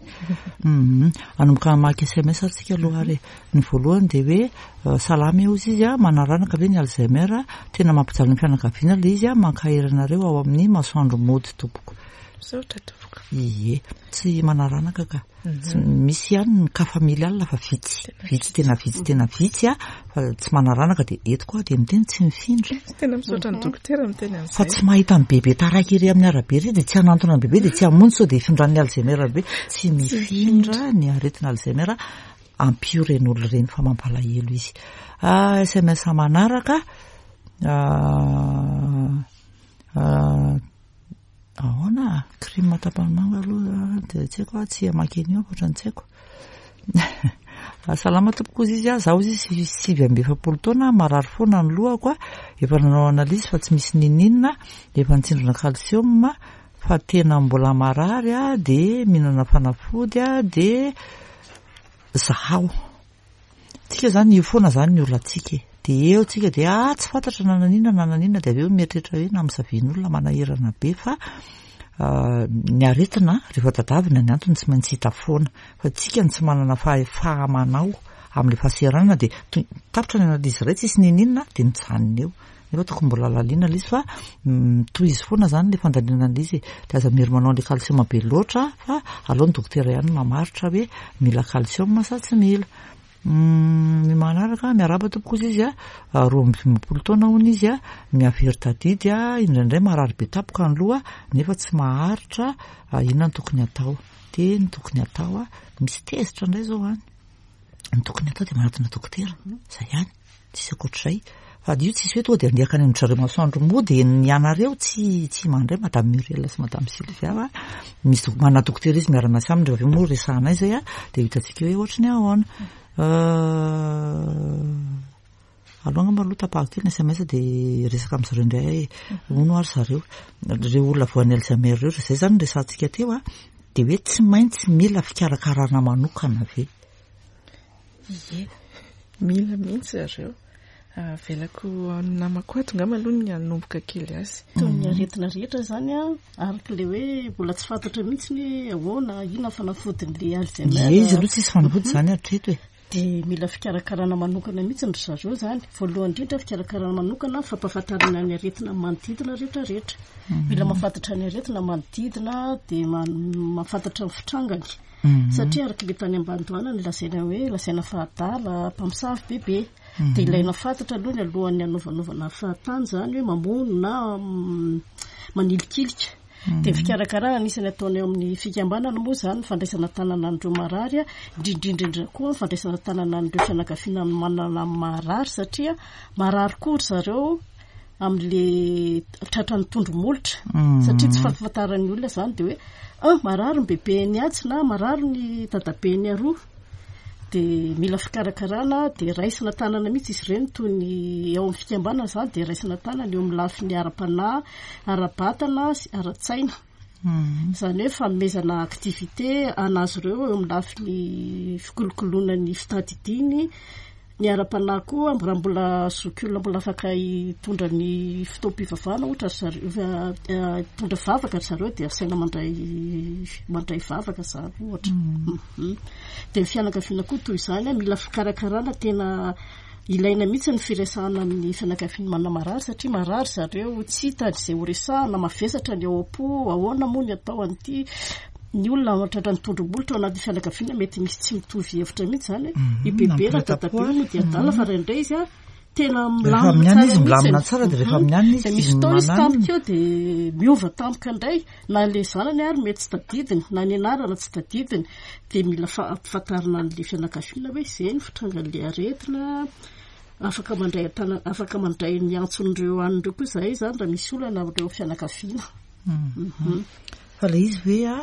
A: Mhm. Hanomboka hamaky S M S ary tsika aloha ary. Ny voalohany dia hoe salama eo izy a, manaranaka ve ny Alzheimer, tena mampijaly ny fianakaviana ilay izy a, mankahery anareo ao amin'ny masoandro mody tompoko.
B: Misaotra tompoko.
A: Ie, tsy manaranaka ka. Tsy misy ihany ny cas familial fa vitsy. Vitsy tena vitsy tena vitsy a, fa tsy manaranaka dia eto koa dia miteny tsy mifindra.
B: Tena misaotra ny dokotera miteny an'izay.
A: Fa tsy mahita ny bebe taraiky ery amin'ny arabe ery dia tsy hanantona ny bebe dia tsy hamonjy sao dia hifindran'ny Alzheimer be. Tsy mifindra ny aretina Alzheimer, ampio ireny olona ireny fa mampalahelo izy. Ah, S M S manaraka. Ah, ah, ahoana? Crime tapany manga aloha dia tsy haiko, tsy hamaky an'io ankoatra ny tsy haiko. Salama tompoko izy a, zaho izy sivy amby efapolo taona, marary foana ny lohako a, efa nanao analyse fa tsy misy nininona, efa nitsindrona calcium fa tena mbola marary a, dia mihinana fanafody a, dia zaho. Tsika izany io foana izany ny olantsika e. Dia eo tsika dia, ah, tsy fantatra na naninona na naninona, dia avy eo mieritreritra hoe namosavian'olona manahirana be fa, ah, ny aretina rehefa tadavina ny antony tsy maintsy hita foana. Fa tsika no tsy manana fahamanao amin'ilay fahaseranana dia to-, tapitra ny analyse iray tsisy nininona dia mijanona eo. Nefa tokony mbola lalina ilay izy fa mitohy izy foana izany ilay fandalinana ilay izy. Dia aza mihery manao an'ilay calcium be loatra fa aleo ny dokotera ihany mamaritra hoe mila calcium sa tsy mila. Ny manaraka, miarahaba tompoko izy izy a, roa amby dimampolo taona hono izy a, mihavery tadidy a, indraindray marary be tampoka ny loha nefa tsy maharitra, inona no tokony atao? Dia ny tokony atao a, misy tezitra indray izao any. Ny tokony atao dia manatona dokotera, izay ihany, tsisy ankoatr'izay. Fa io tsisy hoe tonga dia andeha hankany amin-dry zareo masoandro mody ny anareo tsy, tsy mandray Madame Muriel sy Madame Sylvia fa misy dok-, manana dokotera izy miara-miasa aminy, rehefa avy eo moa resahanay izay a, dia hitantsika hoe ohatry ny ahoana. Euh, aloha angamba aloha tapahako kely ny S M S dia resaka amin-dry zareo indray hoe hono ary zareo, ireo olona voan'ny Alzheimer ireo, izay izany no resahantsika teo a, dia hoe tsy maintsy mila fikarakarana manokana ve?
B: Ie, mila mihitsy zareo. Avelako ny namako ato angamba aloha ny hanomboka kely azy.
C: Toy ny aretina rehetra izany a, araka ilay hoe mbola tsy fantatra mihitsy ny hoe ahoana, inona ny fanafodin'ilay Alzheimer.
A: Ie, izy aloha tsisy fanafody izany hatreto e.
C: Dia mila fikarakarana manokana mihitsy ry zareo izany. Voalohany indrindra fikarakarana manokana fampahafantarana ny aretina manodidina rehetrarehetra. Mila mahafantatra ny aretina manodidina dia ma-, mahafantatra ny fitrangany.
A: Mhm.
C: Satria araka ilay tany ambanidohana no lazaina hoe lazaina fa adala, mpamosavy bebe. Dia ilaina fantatra aloha ny alohan'ny hanaovanaovana fahatany izany hoe mamono na manilikilika. Dia ny fikarakarana anisan'ny ataonay ao amin'ny fikambanana moa izany ny fandraisana tanana an'ireo marary, indrindra koa ny fandraisana tanana an'ireo fianakaviana manana marary, satria marary koa ry zareo amin'le tratran'ny tondro molotra, satria tsy fahafantaran'ny olona izany dia hoe ah, marary ny bebeny atsy na marary ny dadabeny aroa. Dia mila fikarakarana, dia raisina tanana mihitsy izy ireny, toy ny ao amin'ny fikambanana izany dia raisina tanana eo amin'ny lafiny ara-panahy, ara-batana sy ara-tsaina. Izany hoe fanomezana activité anazy ireo eo amin'ny lafiny fikolokoloana ny fitadidiany, ny ara-panahy koa, raha mbola zokiolona mbola afaka hitondra ny fotoam-pivavahana ohatra ry zareo, hitondra vavaka ry zareo dia asaina mandray mandray vavaka izany ohatra. Dia ny fianakaviana koa toy izany, mila fikarakarana tena ilaina mihitsy ny firesahana amin'ny fianakaviana manana marary, satria marary zareo, tsy hitany izay ho resahana, mavesatra ny ao am-po, ahoana moa ny atao an'ity. Ny olona tratran'ny tondro-molotra ao anatin'ny fianakaviana mety misy tsy mitovy hevitra mihitsy izany hoe i bebe na dadabe moa dia adala, fa indraindray izy a tena milamina
A: izy, milamina tsara, dia rehefa mianina izy
C: dia misy fotoana izy tampoka eo dia miova tampoka indray, na ilay zanany ary mety tsy tadidiny, na ny anarana tsy tadidiny. Dia mila fampifantarina an'ilay fianakaviana hoe izay ny fitrangan'ilay aretina, afaka mandray an-tanana, afaka mandray ny antson'ireo an'ireo koa izahay izany raha misy olana amin'ireo fianakaviana.
A: Fa ilay izy hoe a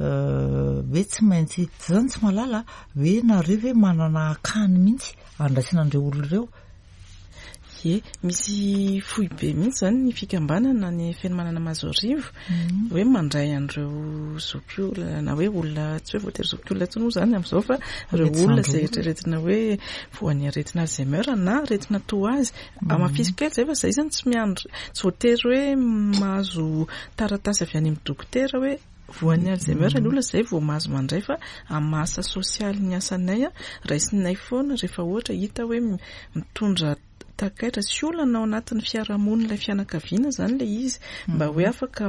A: hoe tsy maintsy zany tsy mahalala hoe nareo ve manana akany mihitsy andraisana an'ireo olona ireo?
B: Ie, misy foibe mihitsy zany ny fikambanana ny Fenomanana Mahazoarivo, hoe mandray an'ireo zokiolona na hoe olona tsy hoe voatery zokiolona intsony moa zany amin'izao, fa ireo olona izay eritreretina hoe voan'ny aretina Alzheimer na aretina toa azy. Hamafisiko kely izay fa izay zany tsy miandry, tsy voatery hoe mahazo taratasy avy any amin'ny dokotera hoe voan'ny Alzheimer ny olona izay vao mahazo mandray, fa amin'ny asa sosialy ny asanay raisinay foana rehefa ohatra hita hoe mitondra takaitra sy olana ao anatin'ny fiarahamonina ilay fianakaviana zany ilay izy, mba hoe afaka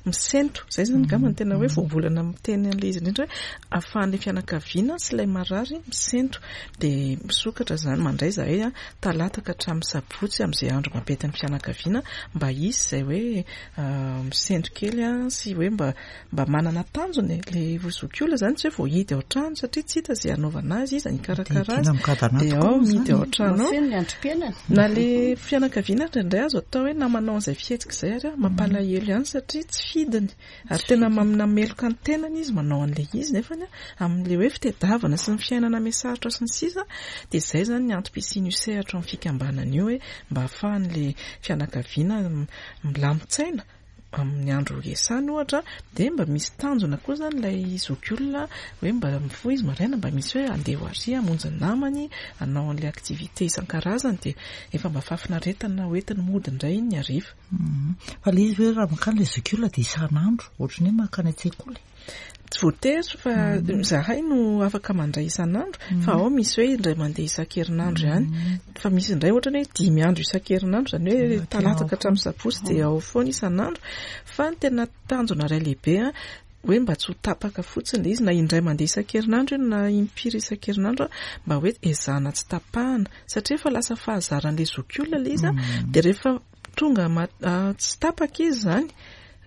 B: misento. Izay zany angamba no tena hoe voambolana miteny an'ilay izy indrindra, hoe ahafahan'ilay fianakaviana sy ilay marary misento. Dia misokatra zany, mandray zahay a talata ka hatramin'ny sabotsy amin'izay andro mampety ny fianakaviana, mba hisy izay hoe misento kely a sy hoe mba mba manana tanjona e. Ilay zokiolona zany tsy hoe voahidy ao an-trano satria tsy hita izay hanaovana azy, iza ny hikarakara azy, dia ao mihidy ao an-trano ao.
C: Mafeno ny androm-piainana.
B: Na le fianakaviana indraindray azo atao hoe na manao an'izay fihetsika izay ary mampalahelo ihany satria tsy fidiny, ary tena mameloka ny tenany izy manao an'ilay izy, nefa amin'ilay hoe fitadiavana sy ny fiainana mihasarotra sy ny sisa, dia izay zany ny antom-pisian'io sehatra ao amin'ny fikambanana io, hoe mba ahafahan'ilay fianakaviana milamin-tsaina amin'ny andro iasany ohatra, dia mba misy tanjona koa zany ilay zokiolona hoe mba mifoha izy maraina, mba misy hoe andeha ho ary hamonjy ny namany, hanao an'ilay activité isan-karazany, dia efa mba fahafinaretana hoentiny mody indray iny ny hariva.
A: Fa ilay izy hoe raha mankany ilay zokiolona dia isan'andro, ohatran'ny hoe mankany an-tsekoly.
B: Tsy voatery fa zahay no afaka mandray isan'andro, fa ao misy hoe indray mandeha isan-kerinandro ihany, fa misy indray ohatra hoe dimy andro isan-kerinandro, izany hoe talata ka hatramin'ny sabotsy dia ao foana isan'andro. Fa ny tena tanjona iray lehibe a, hoe mba tsy ho tapaka fotsiny ilay izy, na indray mandeha isan-kerinandro io na impiry isan-kerinandro, mba hoe ezahana tsy tapahana, satria efa lasa fahazaran'ilay zokiolona ilay izy a, dia rehefa tonga tsy tapaka izy izany,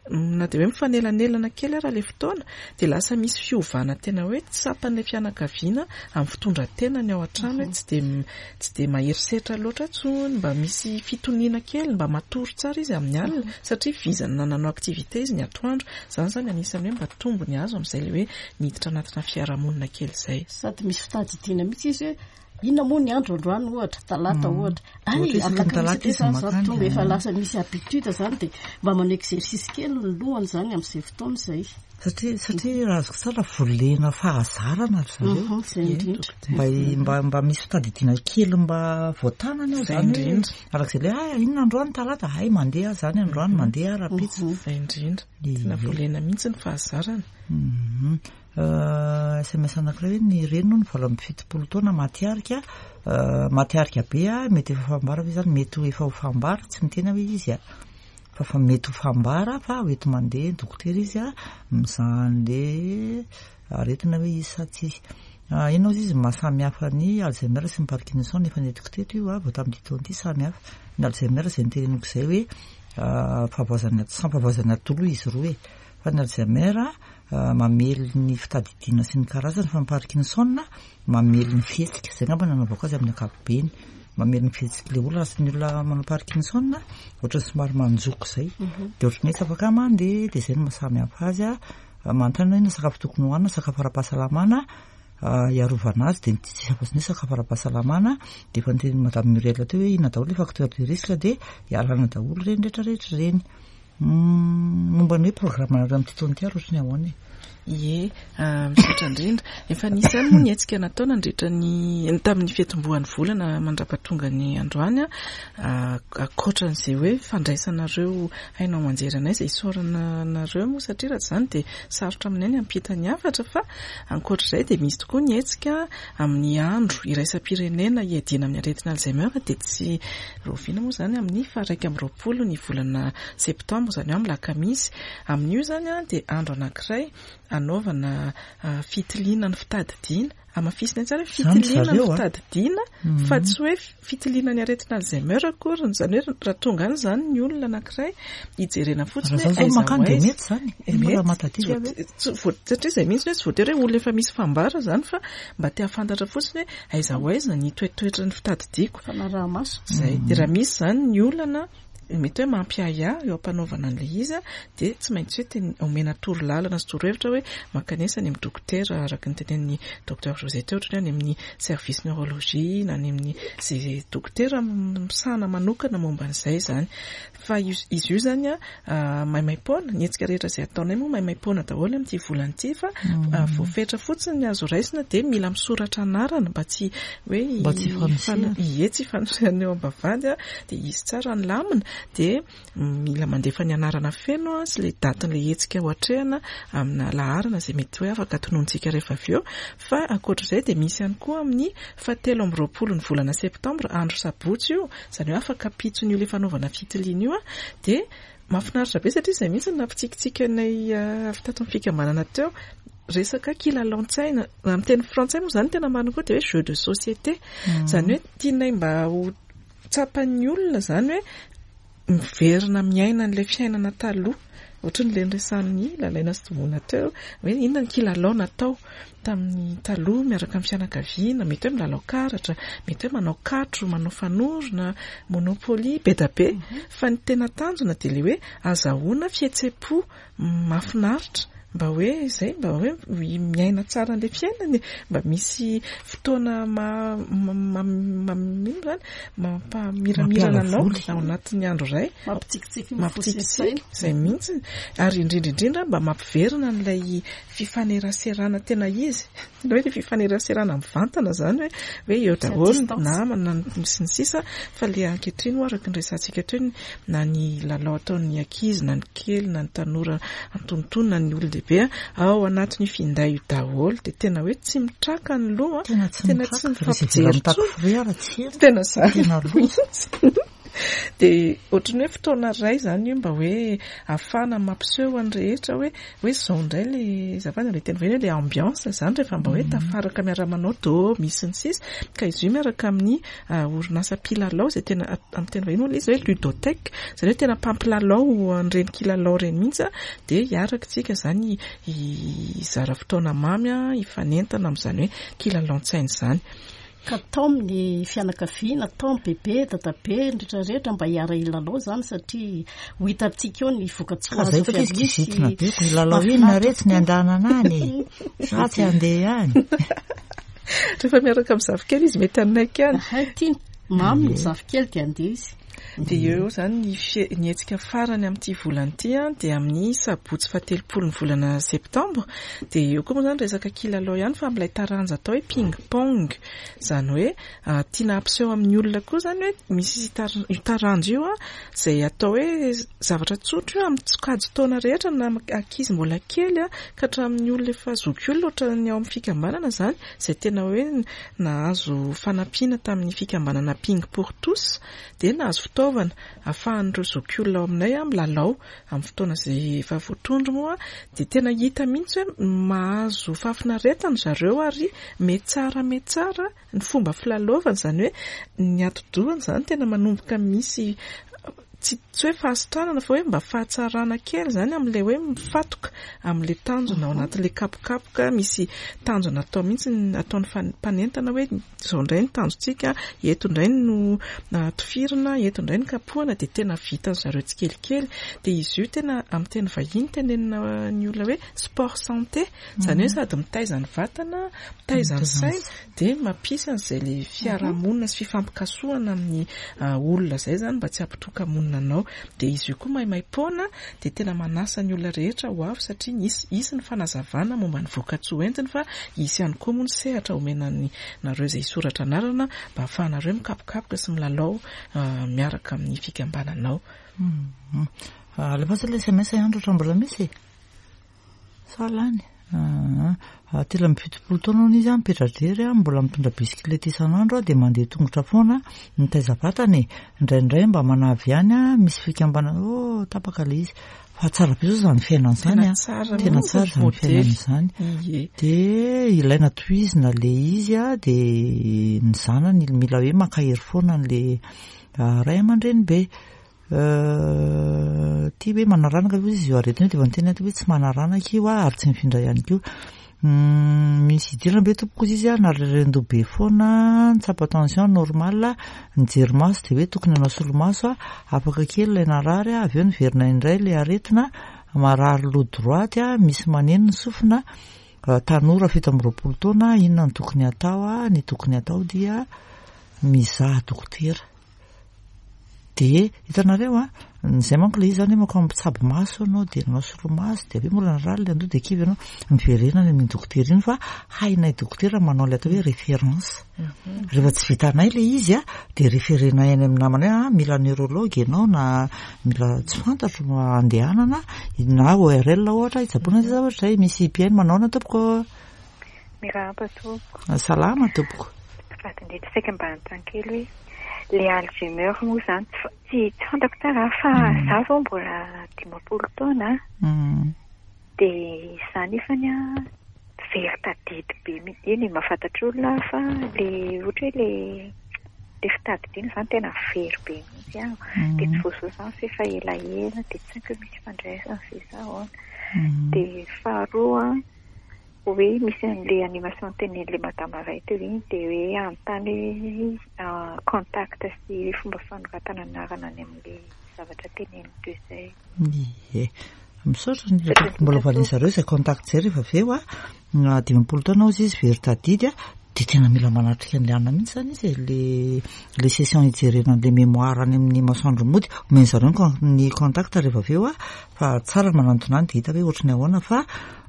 B: na dia hoe mifanelanelana kely ara ilay fotoana, dia lasa misy fiovana tena hoe tsapan'ilay fianakaviana amin'ny fitondran-tenany ao an-trano, hoe tsy dia tsy dia mahery setra loatra intsony, mba misy fitoniana kely, mba matory tsara izy amin'ny alina, satria vizana nanao activité izy ny atoandro. Izany zany anisan'ny hoe mba tombony azo amin'izay ilay hoe miditra anatina fiarahamonina kely izay.
C: Sady misy fitadidiana mihitsy izy hoe inona moa ny andro androany ohatra, talata ohatra. Ay,
A: alakamisy
C: izany zao tonga efa lasa misy habitude zany, dia mba manao exercice kely ny lohany zany amin'izay fotoana izay.
A: Satria satria raha azoko tsara volena fahazarana ry zareo.
C: Izay indrindra.
A: Mba mba mba misy fitadidiana kely mba voatanana eo zany hoe arak'izay ilay ah inona androany talata, ay mandeha zany androany, mandeha rahampitso.
B: Izay indrindra. Tena volena mihitsy ny fahazarana.
A: S M S anankiray hoe ny reny no valo amby fitopolo taona maty arika, maty arika be a, mety efa fambara ve zany, mety ho efa ho fambara, tsy miteny hoe izy a, fa fa mety ho fambara fa hoenti mandeha dokotera izy a, mizaha an'le aretina hoe izy sa tsy izy. Inona ozy izy mahasamihafa ny Alzheimer sy ny Parkinson? Efa nentiko teto io a, vao tamin'ity taona ity. Samy hafa ny Alzheimer, zay niteneniko zay hoe fahavoazana, samy fahavoazana atidoha izy roa e, fa ny Alzheimer mamely ny fitadidiana sy ny karazany, fa ny Parkinson mamely ny fihetsika. Zay ngamba nanaovako azy amin'ny ankapobeny, mamely ny fihetsika le olona. Raha ny olona manao Parkinson, ohatra somary manjoko zay, de ohatrany hoe tsy afaka mandeha, de zay no mahasamy hafa azy. A manontany hoe inona sakafo tokony hohanina, sakafo ara-pahasalamana hiarovana azy, de tsisy afa-tsy ny hoe sakafo ara-pahasalamana. De efa niteny madame Muriel teo hoe inona daholo le facteur de risque, de ialana daholo reny rehetrarehetra reny. Momba ny hoe programme nareo amin'ity taona ity ary ohatry ny ahoana e?
B: Ie, misaotra indrindra. Efa nisy ihany moa ny hetsika natao nandritra ny tamin'ny fiatombohan'ny volana mandrapatonga ny androany, a ankoatran'izay hoe fandraisanareo haino aman-jery anay, izay isaorana anareo moa, satria raha tsy izany dia sarotra aminay ny hampita ny hafatra. Fa ankoatr'izay dia misy tokoa ny hetsika amin'ny andro iraisam-pirenena hiadiana amin'ny aretina Alzheimer, dia tsy rahoviana moa izany, amin'ny faha-iraika amby roapolo ny volana septambra, izany hoe amin'ny lakamisy. Amin'io izany a dia andro anankiray anaovana fitiliana ny fitadidiana. Hamafisina tsara hoe fitiliana ny fitadidiana, fa tsy hoe fitiliana ny aretina Alzheimer akory. Izany hoe raha tonga any izany ny olona anankiray, hijerena fotsiny
A: hoe aiza ho aiza. Mety zany.
B: Mety, satria izay mihitsy hoe tsy voatery hoe olona efa misy fambara zany, fa mba te hahafantatra fotsiny hoe aiza ho aiza ny toetoetry ny fitadidiako.
C: Fanaraha-maso.
B: Zay. De raha misy zany ny olana mety hoe mampiahiahy eo am-panaovana an'ilay izy, dia tsy maintsy hoe teny omena toro lalana sy torohevitra hoe mankanesa any amin'ny dokotera, araka ny tenenin'ny docteur José teo, ohatra hoe any amin'ny service neurologie na any amin'ny zay dokotera misahana manokana momba an'izay zany. Fa izy io zany a maimaim-poana. Ny hetsika rehetra izay ataonay moa maimaim-poana daholo amin'ity volana ity, fa voafetra fotsiny ny azo raisina, dia mila misoratra anarana mba tsy hoe
A: mba tsy hifanosehana.
B: Ie, tsy hifanosehana eo am-bavahady, a dia izy tsara ny lamina, dia mila mandefa ny anarana feno a sy le datin'ilay hetsika ho atrehana amina laharana izay mety hoe afaka tononontsika rehefa avy eo. Fa ankoatr'izay dia misy ihany koa amin'ny fahatelo amby roapolo ny volana septambra, andro sabotsy io, izany hoe afaka pitson'io le fanaovana fitiliana io, a dia mahafinaritra be satria izay mihitsy no nampitsikitsiky anay avy tato amin'ny fikambanana teo, resaka kilalaon-tsaina. Amin'ny teny frantsay moa izany tena marina koa dia hoe jeu de société. Izany hoe tianay mba ho tsapan'ny olona izany hoe miverina miaina an'ilay fiainana taloha, ohatry ny le niresahan'ny Lalaina sy Tombona teo hoe inona ny kilalao natao tamin'ny taloha miaraka amin'ny fianakaviana. Mety hoe milalao karatra, mety hoe manao katro, manao fanorona, monopoly, be da be. Fa ny tena tanjona dia le hoe azahoana fihetsem-po mahafinaritra, mba hoe izay, mba hoe miaina tsara an'ilay fiainany, mba misy fotoana ma ino zany mampamiramirana anao ao anatin'ny andro iray.
C: Mampitsikitsiky.
B: Mampitsikitsiky izay mihitsy, ary indrindra indrindra mba mampiverina an'ilay fifaneraserana tena izy, tena hoe le fifaneraserana mivantana zany, hoe hoe eo daholo ny namana sy ny sisa. Fa le ankehitriny moa, araka ny resahantsika teo, na ny lalao ataon'ny ankizy, na ny kely, na ny tanora antonontonona, na ny olon-dehibe, ao anatin'io finday io daholo, dia tena hoe tsy mitraka ny loha.
A: Tena tsy
B: tena tsy
A: mitraka.
B: Mifampijery.
A: Mitaky ara tsy
B: tena zany
A: tena loza.
B: Dia ohatran'ny hoe fotoana iray zany io mba hoe ahafahana mampiseho an'ny rehetra hoe hoe zao indray le azafady le teny vahiny hoe le ambiance zany rehefa mba hoe tafaraka miara-manao do misy ny sisa. Ka izy io miaraka amin'ny orinasa mpilalao izay tena amin'ny teny vahiny moa ilay izy hoe ludothèque, izany hoe tena mpampilalao an'ireny kilalao ireny mihitsy, a dia hiaraka tsika zany hizara fotoana mamy, a hifanentana amin'izany hoe kilalaon-tsaina izany.
C: Ka tao amin'ny fianakaviana, tao amin'ny bebe, dadabe, ny rehetrarehetra mba hiara-hilalao zany, satria ho hitantsika eo ny voka-tsoa
A: Ka zay
C: azo
A: fa
C: avy
A: izy
C: amin'io sy
A: kizitina be ko hilalao inona retsy ny andanana any sa tsy andeha any.
B: Rehefa miaraka amin'ny zafikely izy mety hanaiky any.
C: Ahay, tiany mamy ny zafikely dia andeha izy.
B: Dia eo zany ny fie- ny hetsika farany amin'ity volana ity, a dia amin'ny sabotsy fahatelopolo ny volana septambra. Dia eo koa moa zany resaka kilalao ihany, fa amin'ilay taranja atao hoe ping pong, izany hoe tiana hampiseho amin'ny olona koa zany hoe misy tar- io taranja io, a izay atao hoe zavatra tsotra io amin'ny sokajy taona rehetra, na ankizy mbola kely a ka hatramin'ny olona efa zokiolona, ohatran'ny ao amin'ny fikambanana zany, izay tena hoe nahazo fanampiana tamin'ny fikambanana Ping pour tous, dia nahazo fitaovana ahafahan'ireo zokiolona ao aminay a milalao amin'ny fotoana izay efa voatondro moa, dia tena hita mihitsy hoe mahazo fahafinaretana zareo ary metsara metsara ny fomba filalaovana, izany hoe ny atidohany izany tena manomboka misy tsy tsy hoe fahasitranana fa hoe mba fahatsarana kely izany amin'ilay hoe mifatoka amin'ilay tanjona ao anatin'ilay kapokapoka. Misy tanjona atao mihitsy ny ataon'ny fan-, mpanentana hoe izao indray ny tanjontsika, eto indray no tifirina, eto indray ny kapohana, dia tena vitan'ny zareo tsikelikely. Dia izy io tena amin'ny teny vahiny tenenina ny olona hoe sport santé, izany hoe sady mitaiza ny vatana, mitaiza ny saina, dia mampisy an'izay le fiarahamonina sy fifampikasohana amin'ny, ah, olona izay izany mba tsy hampitoka-monina anao. Dia izy io koa maimaim-poana, dia tena manasa ny olona rehetra ho avy satria nisy, hisy ny fanazavana momba ny vokatsoa entiny, fa hisy ihany koa moa ny sehatra omena ny nareo izay hisoratra anarana mba ahafahanareo mikapokapoka sy milalao, ah, miaraka amin'ny fikambananao.
A: Mhm. Alefa ilay S M S ihany raha mbola misy e? Sa lany? Ah, ah, telo amby fitopolo taona hono izy, mipetra-drery, mbola mitondra bisikileta isan'andro, dia mandeha tongotra foana, mitaiza vatana e. Indraindray mba manavy ihany, misy fikambanana, oh, tapaka ilay izy. Fa tsara be zao izany fiainana izany,
B: Tena
A: a.
B: tsara
A: Tena
B: mihitsy
A: tsara izany
B: modely.
A: fiainana izany.
B: Ie.
A: Dia ilaina tohizina ilay izy, a, dia ny zanany mila hoe maka hery foana an'ilay, ah, ray aman-dreny be. Euh, ty hoe manaranaka aloha izy io aretina io, dia efa niteny aho hoe tsy manaranaka io, a, ary tsy mifindra ihany koa. Hmm, misy idirana be tompoko izy, a, nareren-doha be foana, nitsapa tension normal, nijery maso dia hoe tokony hanao solomaso, a, afaka kely ilay narary, a, avy eo niverina indray ilay aretina, marary loha droite, a, misy maneno ny sofina, a, tanora fito amby roapolo taona, inona no tokony hatao, a, ny tokony hatao dia mizaha dokotera. Dia hitanareo, a, izay manko ilay izy izany hoe mankao amin'ny mpitsabo maso ianao, dia nanao solomaso, dia avy eo mbola narary ilay andoha, dia kivy ianao, miverena any amin'ny dokotera iny, fa hainay dokotera manao ilay atao hoe référence.
B: Mhm.
A: Rehefa tsy vitanay ilay izy, a, dia référenay any amin'ny namana hoe, ah, mila neurologue ianao, na mila tsy fantatro no andehanana, na O R L ohatra, hitsaboana izay zavatra izay. Misy mpihaino manao na tompoko?
D: Miarahaba tompoko.
A: Salama tompoko.
D: Vadin-dehibe saika mba hanontany kely hoe le Alzheimer moa izany tsy fa-, tsy, tsy fantako tsara fa
A: Mm.
D: za vao mbola dimampolo taona.
A: Mm.
D: Dia za nefany a very tadidy be mihitsy. Eny e, mahafantatra olona aho fa le ohatra hoe le, le fitadidiana izany tena very be mihitsy aho.
A: Mm.
D: Dia tsy voasoa izany fa efa elaela, dia tsy haiko hoe misy ifandraisany ve sa ahoana.
A: Mm.
D: Dia faharoa, hoe misy an'ilay animation tenenin'ilay madama iray teo iny, dia hoe anontany hoe, ah, contact sy fomba fanoratana anarana any amin'ilay zavatra teneniny teo izay.
A: Ie. Misaotra ny tompoko mbola valian'ny zareo izay contact izay rehefa avy eo, a. Na dimampolo taona hozy izy very tadidy, a, dia tena mila manatrika an'ilay anona mihitsy izany izy e, le, le session hijerena an'ilay mémoire any amin'ny masoandro mody. Omen'ny zareo ny con-, ny contact rehefa avy eo, a, fa tsara ny manantona any dia hita hoe ohatry ny ahoana, fa,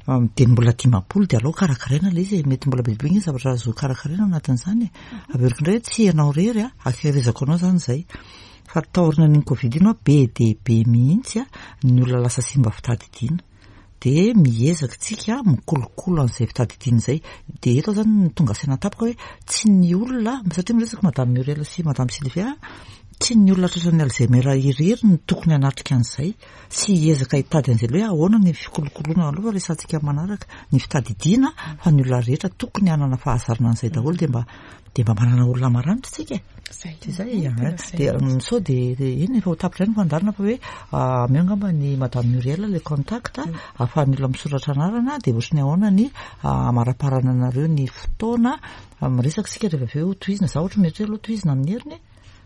A: um, dia mbola dimampolo dia aleo karakaraina ilay izy e. Mety mbola bebe ny zavatra azo karakaraina ao anatin'izany e. Averiko indray hoe tsy ianao irery, a, akerezako anao izany izay. Fa taorian'iny Covid iny, a, be dia be mihitsy, a, ny olona lasa simba fitadidiana. Dia miezaka tsika mikolokolo an'izay fitadidiana izay. Dia eto izany no tonga saina tampoka hoe tsy ny olona, satria miresaka Madame Muriel sy Madame Sylvia, tsy ny olona tratran'ny Alzheimer irery no tokony hanatrika an'izay sy hiezaka hitady an'izay hoe ahoana ny fikolokoloana aloha resahantsika manaraka ny fitadidiana, fa ny olona rehetra tokony hanana fahazarana an'izay daholo, dia mba, dia mba manana olona maranitra tsika e.
B: Zay.
A: Dia zay,
B: Tena
A: ah,
B: zay
A: dia,
B: mihitsy.
A: mm, sao dia, dia eny efa ho tapitra ihany ny fandaharana fa hoe, ah, omeo angamba ny Madame Muriel le contact,
B: Mm.
A: ahafahan'ny olona misoratra anarana, dia ohatry ny ahoana ny, ah, amaraparana anareo ny fotoana, ah, miresaka isika rehefa avy eo tohizina. Za ohatra mieritreritra aloha tohizina amin'ny heriny e.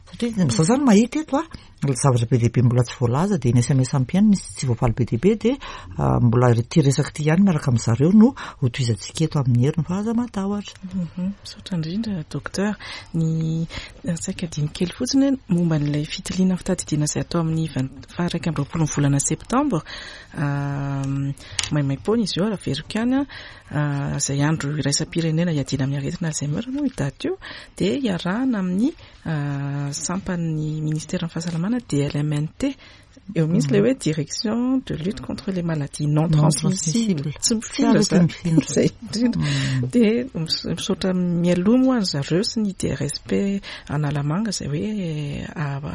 A: Satria za zany mahita eto, a, zavatra be dia be mbola tsy voalaza, dia ny S M S ampiany misy tsy voafaly be dia be, dia, ah, mbola ity resaka ity ihany miaraka amin'ny zareo no ho tohizantsika eto amin'ny heriny, fa aza matahotra.
B: Mhm. Misaotra indrindra, docteur. Ny saika adino kely fotsiny hoe momba an'ilay fitiliana fitadidiana izay atao amin'ny vingt-, faha iraika amby roapolo ny volana septambra, ah, maimaim-poana izy io, ary averiko ihany, ah, izay andro iraisam-pirenena hiadiana amin'ny aretina Alzheimer moa io daty io, dia iarahana amin'ny, ah, sampan'ny ministeran'ny fahasalamana D L M N T, Eo mihitsy le hoe Direction de lutte contre les maladies non transmissibles, tsy mifindra zany, zay indrindra. De misaotra mialoha moa any zareo sy ny D R S P Analamanga zay hoe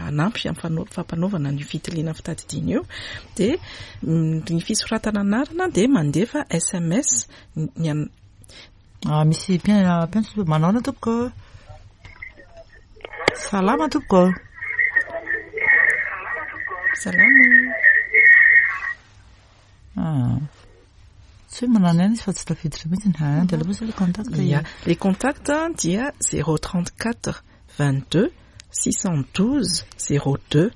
B: anampy amin'ny fampanaovana ny fitiliana fitadidiana io. De ny fisoratana anarana de mandefa S M S ny
A: Ah, misy mpiantso. Manaona tompoko? Salama tompoko.
B: Salama.
A: Ah. Tsy hoe manano ihany izy fa tsy tafiditra mihitsy ny de aloha le contact.
B: Ya, les contacts dia zéro trente quatre vingt deux six cent douze zéro deux,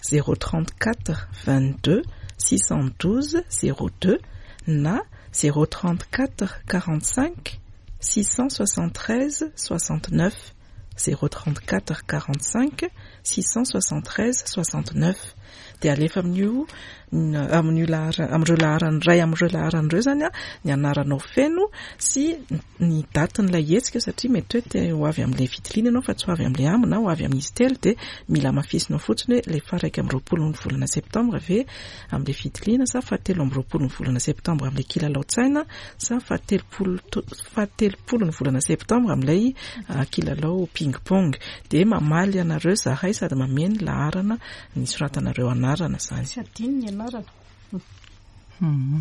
B: zéro trente quatre vingt deux six cent douze zéro deux na zéro trente quatre quarante cinq six cent soixante treize soixante neuf, zéro trente quatre quarante cinq six cent soixante treize soixante neuf. De alefa amin'io amin'io lahara am'ireo laharany ray am'ireo laharan'ireo zany a ny anaranao feno sy ny datin'ilay hetsika, satria mety hoe te ho avy amin'ilay fitiliana ianao fa tsy ho avy amin'ilay amby na ho avy amin'izy telo, de mila hamafisinao fotsiny hoe le faha-iraika amby roapolo ny volana septembre ve amin'ilay fitiliana sa fahatelo amby roapolo ny volana septembre amin'ilay kilalao-tsaina sa fahatelopolo fahatelopolo ny volana septembre amin'ilay kilalao ping pong. De mamaly anareo zahay sady mameny laharana ny soratanareo anarana zany.
C: Tsy adino ny anarana.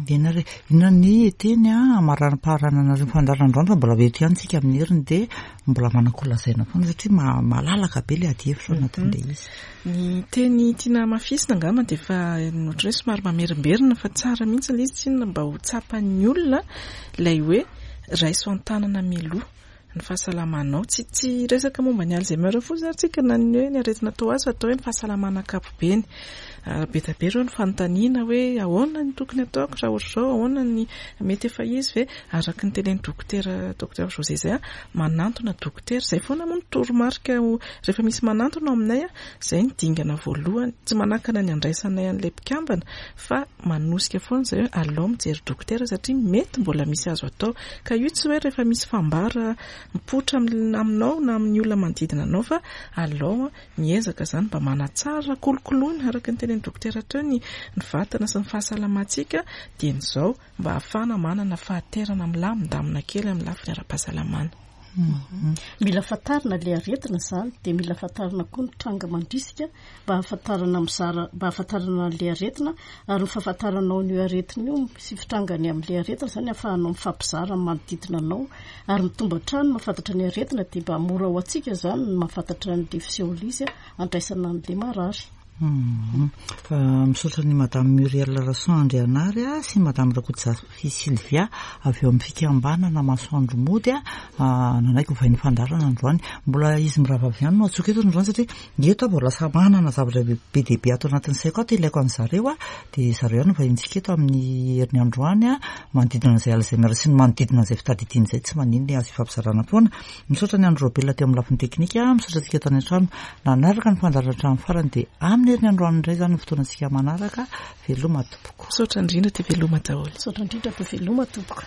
A: Ina re, inona ny teny a amaranam-paharananareo fandaharanandroany, fa mbola eto ihany tsika amin'ny heriny, de mbola manan-ko lazaina foana satria malalaka be le adihevitra ao anatin'le izy.
B: Ny teny tiana hamafisina angamba de efa ohatran'ny hoe somary mamerimberina fa tsara mihitsy le izy, tsinona mba ho tsapan'ny olona ilay hoe raiso an-tanana mialoha ny fahasalamanao. Tsy tsy resaka momba ny Alzheimer fotsiny ary tsika na ny hoe ny aretina atao azy, fa atao hoe ny fahasalamana ankapobeny. Be dia be ireo ny fanontaniana hoe ahoana ny tokony ataoko raha ohatra izao, ahoana ny mety efa izy ve, araka ny tenen'ny dokotera, docteur José zay a manantona dokotera zay foana moa ny toromarika rehefa misy manantona ao aminay a zay ny dingana voalohany. Tsy manakana ny andraisanay an'ilay mpikambana fa manosika foana zay hoe alao mijery dokotera satria mety mbola misy azo atao. Ka io tsy hoe rehefa misy fambara mipoitra aminao na amin'ny olona manodidina anao, fa alao miezaka zany mba manatsara kolokoloina araka ny tenen'ny dokotera teo ny ny vatana sy ny fahasalamantsika dieny izao mba ahafahana manana fahaterana milamindamina kely amin'ny lafiny ara-pahasalamana.
C: Mila fantarina le aretina zany, de mila fantarina koa ny tranga mandrisika mba hahafantarana mizara, mba hahafantarana an'le aretina. Ary ny fahafantaranao an'io aretina io sy fitrangany amin'le aretina zany ahafahanao mifampizara amin'ny manodidina anao ary mitombo hatrany mahafantatra ny aretina, de mba mora ho antsika zany ny mahafantatra an'le fisehoan'le izy a andraisana an'le marary.
A: Misaotra ny Madame Muriel Rason Andrianary a sy Madame Rakotozafy Sylvia avy eo amin'ny fikambanana Masoandro Mody a nanaiky ho vahiny fandaharana androany. Mbola izy miravavy ihany no atsoka eto androany satria eto aho vao lasa manana zavatra be dia be ato anatin'ny saiko ato ilaiko an'zareo a de zareo ihany no vahintsika eto amin'ny heriny androany a manodidina an'izay Alzheimer sy ny manodidina an'izay fitadidiana izay. Tsy maninona, azo ifampizarana foana. Misaotra ny Andro Robelona teo amin'ny lafiny teknika. Misaotra antsika tany an-trano nanaraka ny fandaharana hatramin'ny farany. De amin'ny heriny androany indray zany ny fotoanantsika manaraka. Veloma tompoko.
B: Misaotra indrindra, de veloma daholo.
C: Misaotra indrindra, de veloma tompoko.